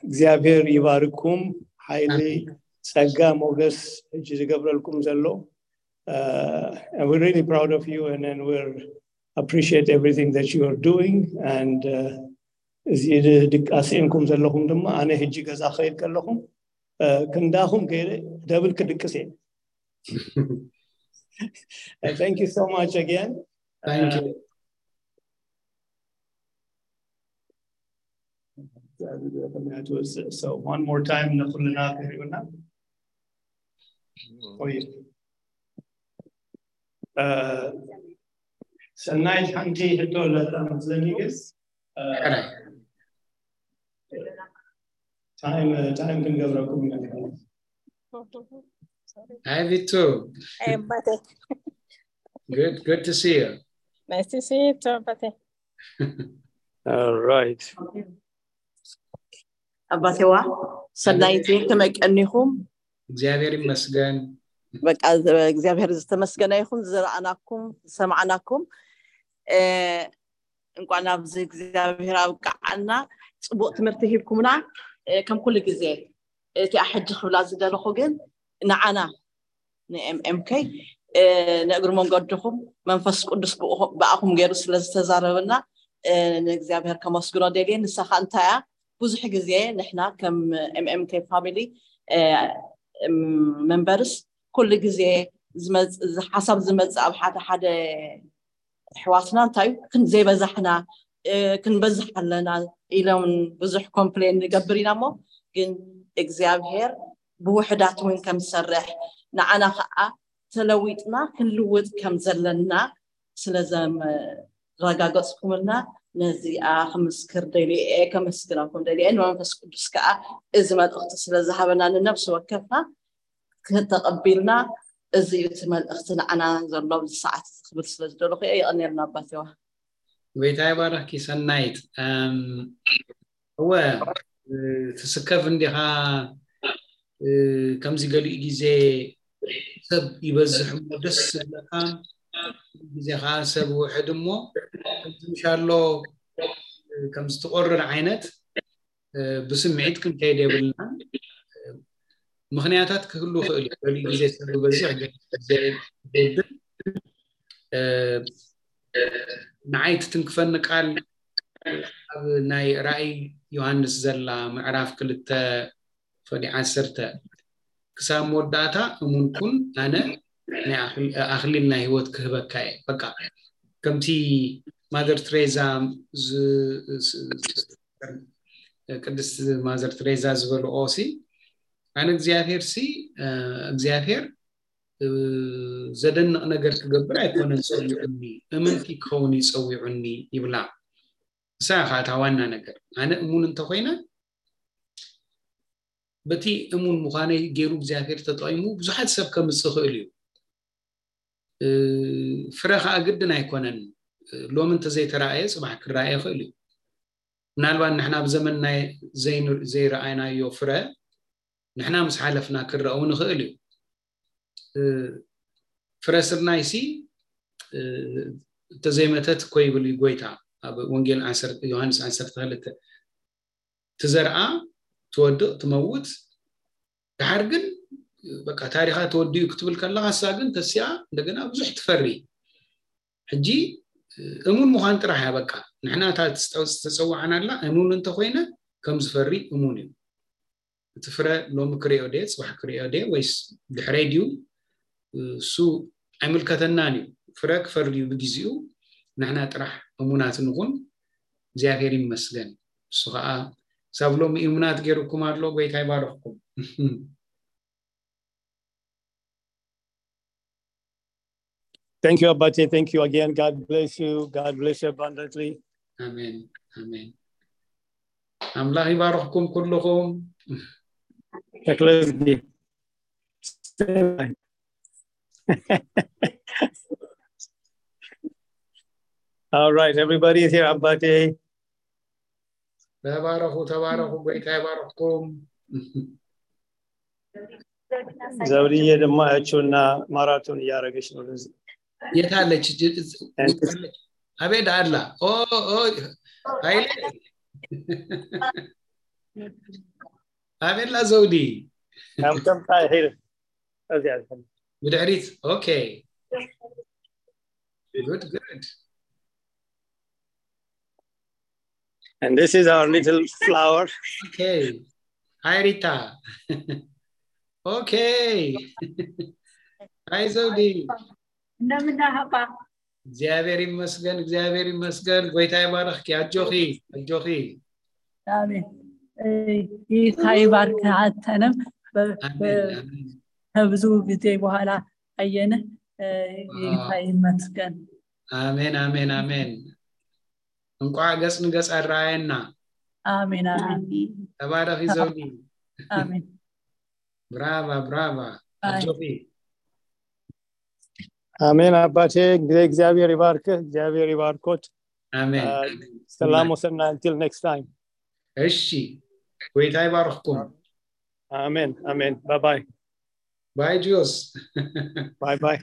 እግዚኣብሔር ይባርኩም። ሓይሊ፣ ጸጋ፣ ሞገስ ሕጂ ዝገብረልኩም ዘሎ። And we're really proud of you, and then we're appreciate everything that you are doing. And እዚ ድቃስ ኢንኩም ዘለኹም ድማ፣ ኣነ ሕጂ ገዛ ኸይድ ከለኹም ክንዳኹም ገይረ ደብል ክድቅስ እየ። Thank you so much again. Thank you. So one more time ንኩልና ክሪኡና። ሰናይት ሓንቲ ሕቶ ኣለታ መስለኒ፣ ግን ታይም ታይም ክንገብረኩም ኢና። Hi Vitu. Hey, buddy. Good, good to see you. Nice to see you too, buddy. All right. ኣባቴዋ ሰናይቲ ከመይ ቀኒኹም? እግዚኣብሔር ይመስገን። በቃ እግዚኣብሔር ዝተመስገነ ይኹን። ዝረኣናኩም ዝሰማዕናኩም እንኳን ኣብዚ እግዚኣብሔር ኣብቃዓና። ፅቡቅ ትምህርቲ ሂብኩምና። ከም ኩሉ ግዜ እቲኣ ሕጂ ክብላ ዝደለኹ ግን ንዓና ንኤምኤምከይ ንእግሪ መንገድኹም መንፈስ ቅዱስ ብኣኹም ገይሩ ስለዝተዛረበና ንእግዚኣብሔር ከመስግኖ ደልየ። ንሳኻ እንታይ እያ ብዙሕ ግዜ ንሕና ከም ኤምኤምከይ ፋሚሊ መንበርስ ኩሉ ግዜ ሓሳብ ዝመፅእ ኣብ ሓደ ሓደ ኣሕዋትና እንታይ ክንዘይበዛሕና ክንበዝሕ ኣለና ኢሎም ብዙሕ ኮምፕሌን ንገብር ኢና እሞ ግን እግዚኣብሔር ብውሕዳት እውን ከም ዝሰርሕ ንዓና ከዓ ተለዊጥና ክንልውጥ ከም ዘለና ስለዘረጋገፅኩምልና ነዚኣ ክምስክር ደልየ ከመስግነኩም ደልየ ንመንፈስ ቅዱስ ከዓ እዚ መልእክቲ ስለዝሃበና ንነብሲ ወከፍና ከተቐቢልና እዚ እዩ እቲ መልእኽቲ ንዓና ዘሎ ኣብዚ ሰዓት እዚ ክብል ስለ ዝደለኹ እየ። የቐንየልና ኣባቴዋ። ጎይታ ይባረኽኪ ሰናይት። እወ ትስከፍ እንዲኻ ከምዚ ገሊኡ ግዜ ሰብ ይበዝሕ እሞ ደስ ዝብለካ ግዜ ከዓ ሰብ ውሕድ እሞ ከምዚ ምሻሎ ከምዚ ትቆርር ዓይነት ብስምዒት ክንከይድ የብልና። ምኽንያታት ክህሉ ይኽእል እዩ። ገሊኡ ግዜ ሰብ ዝበዝሕ ዘይብል ንዓይ ትትንክፈኒ ቃል ኣብ ናይ ራእይ ዮሃንስ ዘላ ምዕራፍ ክልተ ፈሊ ዓሰርተ ክሳብ መወዳእታ እሙን ኩን ኣነ ናይ ኣኽሊል ናይ ህይወት ክህበካ እየ። በቃ ከምቲ ማዘር ትሬዛ ዝ- ስ- ቅድስት ማዘር ትሬዛ ዝበልኦ ሲ ኣነ እግዚኣብሔር ሲ እግዚኣብሔር ዘደንቕ ነገር ክገብር ኣይኮነን ጸዊዑኒ፣ እምንቲ ክኸውን እዩ ጸዊዑኒ ይብላ። እሳ እያ ከዓ እታ ዋና ነገር። ኣነ እሙን እንተኾይነ በቲ እሙን ምዃነይ ገይሩ እግዚኣብሔር ተጠቒሙ ብዙሓት ሰብ ከምፅእ ይኽእል እዩ። ፍረ ከዓ ግድን ኣይኮነን። ሎሚ እንተዘይተራእየ ፅባሕ ክረኣየ ይኽእል እዩ። ምናልባት ንሕና ኣብ ዘመንና ዘይረኣይናዮ ፍረ ንሕና ምስ ሓለፍና ክረአ እውን ይኽእል እዩ። ፍረ ስርናይሲ እንተዘይመተት እኮ ይብል እዩ ጎይታ ኣብ ወንጌል ዮሃንስ ዓሰርተ ክልተ። ትዘርኣ፣ ትወድቕ፣ ትመውት፣ ድሓር ግን በቃ ታሪኻ ተወዲኡ ክትብል ከለኻ እሳ ግን ተሲኣ እንደገና ብዙሕ ትፈሪ። ሕጂ እሙን ምዃን ጥራሕ እያ በቃ። ንሕና እታ ዝተፀዋዕናላ እሙን እንተኮይነ ከም ዝፈሪ እሙን እዩ። እቲ ፍረ ሎሚ ክሪኦ ድየ፣ ፅባሕ ክሪኦ ድየ ወይስ ድሕረይ ድዩ? እሱ ኣይምልከተናን እዩ። ፍረ ክፈሪ እዩ ብግዜኡ። ንሕና ጥራሕ እሙናት ንኹን። እግዚኣብሔር ይመስገን። እሱ ከዓ ክሳብ ሎሚ እሙናት ገይሩኩም ኣሎ። ጎይታ ይባርኽኩም። Thank you, Abate. Thank you again. God bless you. God bless you abundantly. ኣሜን ኣሜን። ኣምላኽ ይባርኽኩም ኩልኹም። ተክለዝጊ። All right, everybody is here. ኣባቴ ተባረኹ፣ ተባረኹ። ጎይታ ይባርኽኩም። ዘውድዬ ድማ እቹና ማራቶን እያደረገች ነው። የት አለች? አቤት አላ ኦ ኦ ኃይሌ አቤላ ዘውዲ ከምከምታ ይሄድ እዚያ ብድሕሪት okay good good And this is our little flower. Okay. Hi, Rita. Okay. Hi, Zodi. እንደምን አባ? እግዚአብሔር ይመስገን፣ እግዚአብሔር ይመስገን። ጎይታ ይባርኽኪ። ኣጆኺ፣ ኣጆኺ። አሜን። ጌታ ይባርክ። አንተንም ከብዙ ጊዜ በኋላ አየንህ። ጌታ ይመስገን። አሜን፣ አሜን፣ አሜን። እንኳዕ ገጽ ንገጽ ኣረኣየና። አሜን አሜን። ተባረኺ ዘውዲ። አሜን። ብራቫ ብራቫ። ኣጆኺ። አሜን አባቴ፣ እንግዲህ እግዚአብሔር ይባርክህ፣ እግዚአብሔር ይባርኮት። አሜን። ሰላም ወሰና። Until next time. እሺ፣ ጎይታ ይባርኽኩም። አሜን አሜን። Bye bye. Bye ጆስ። Bye bye.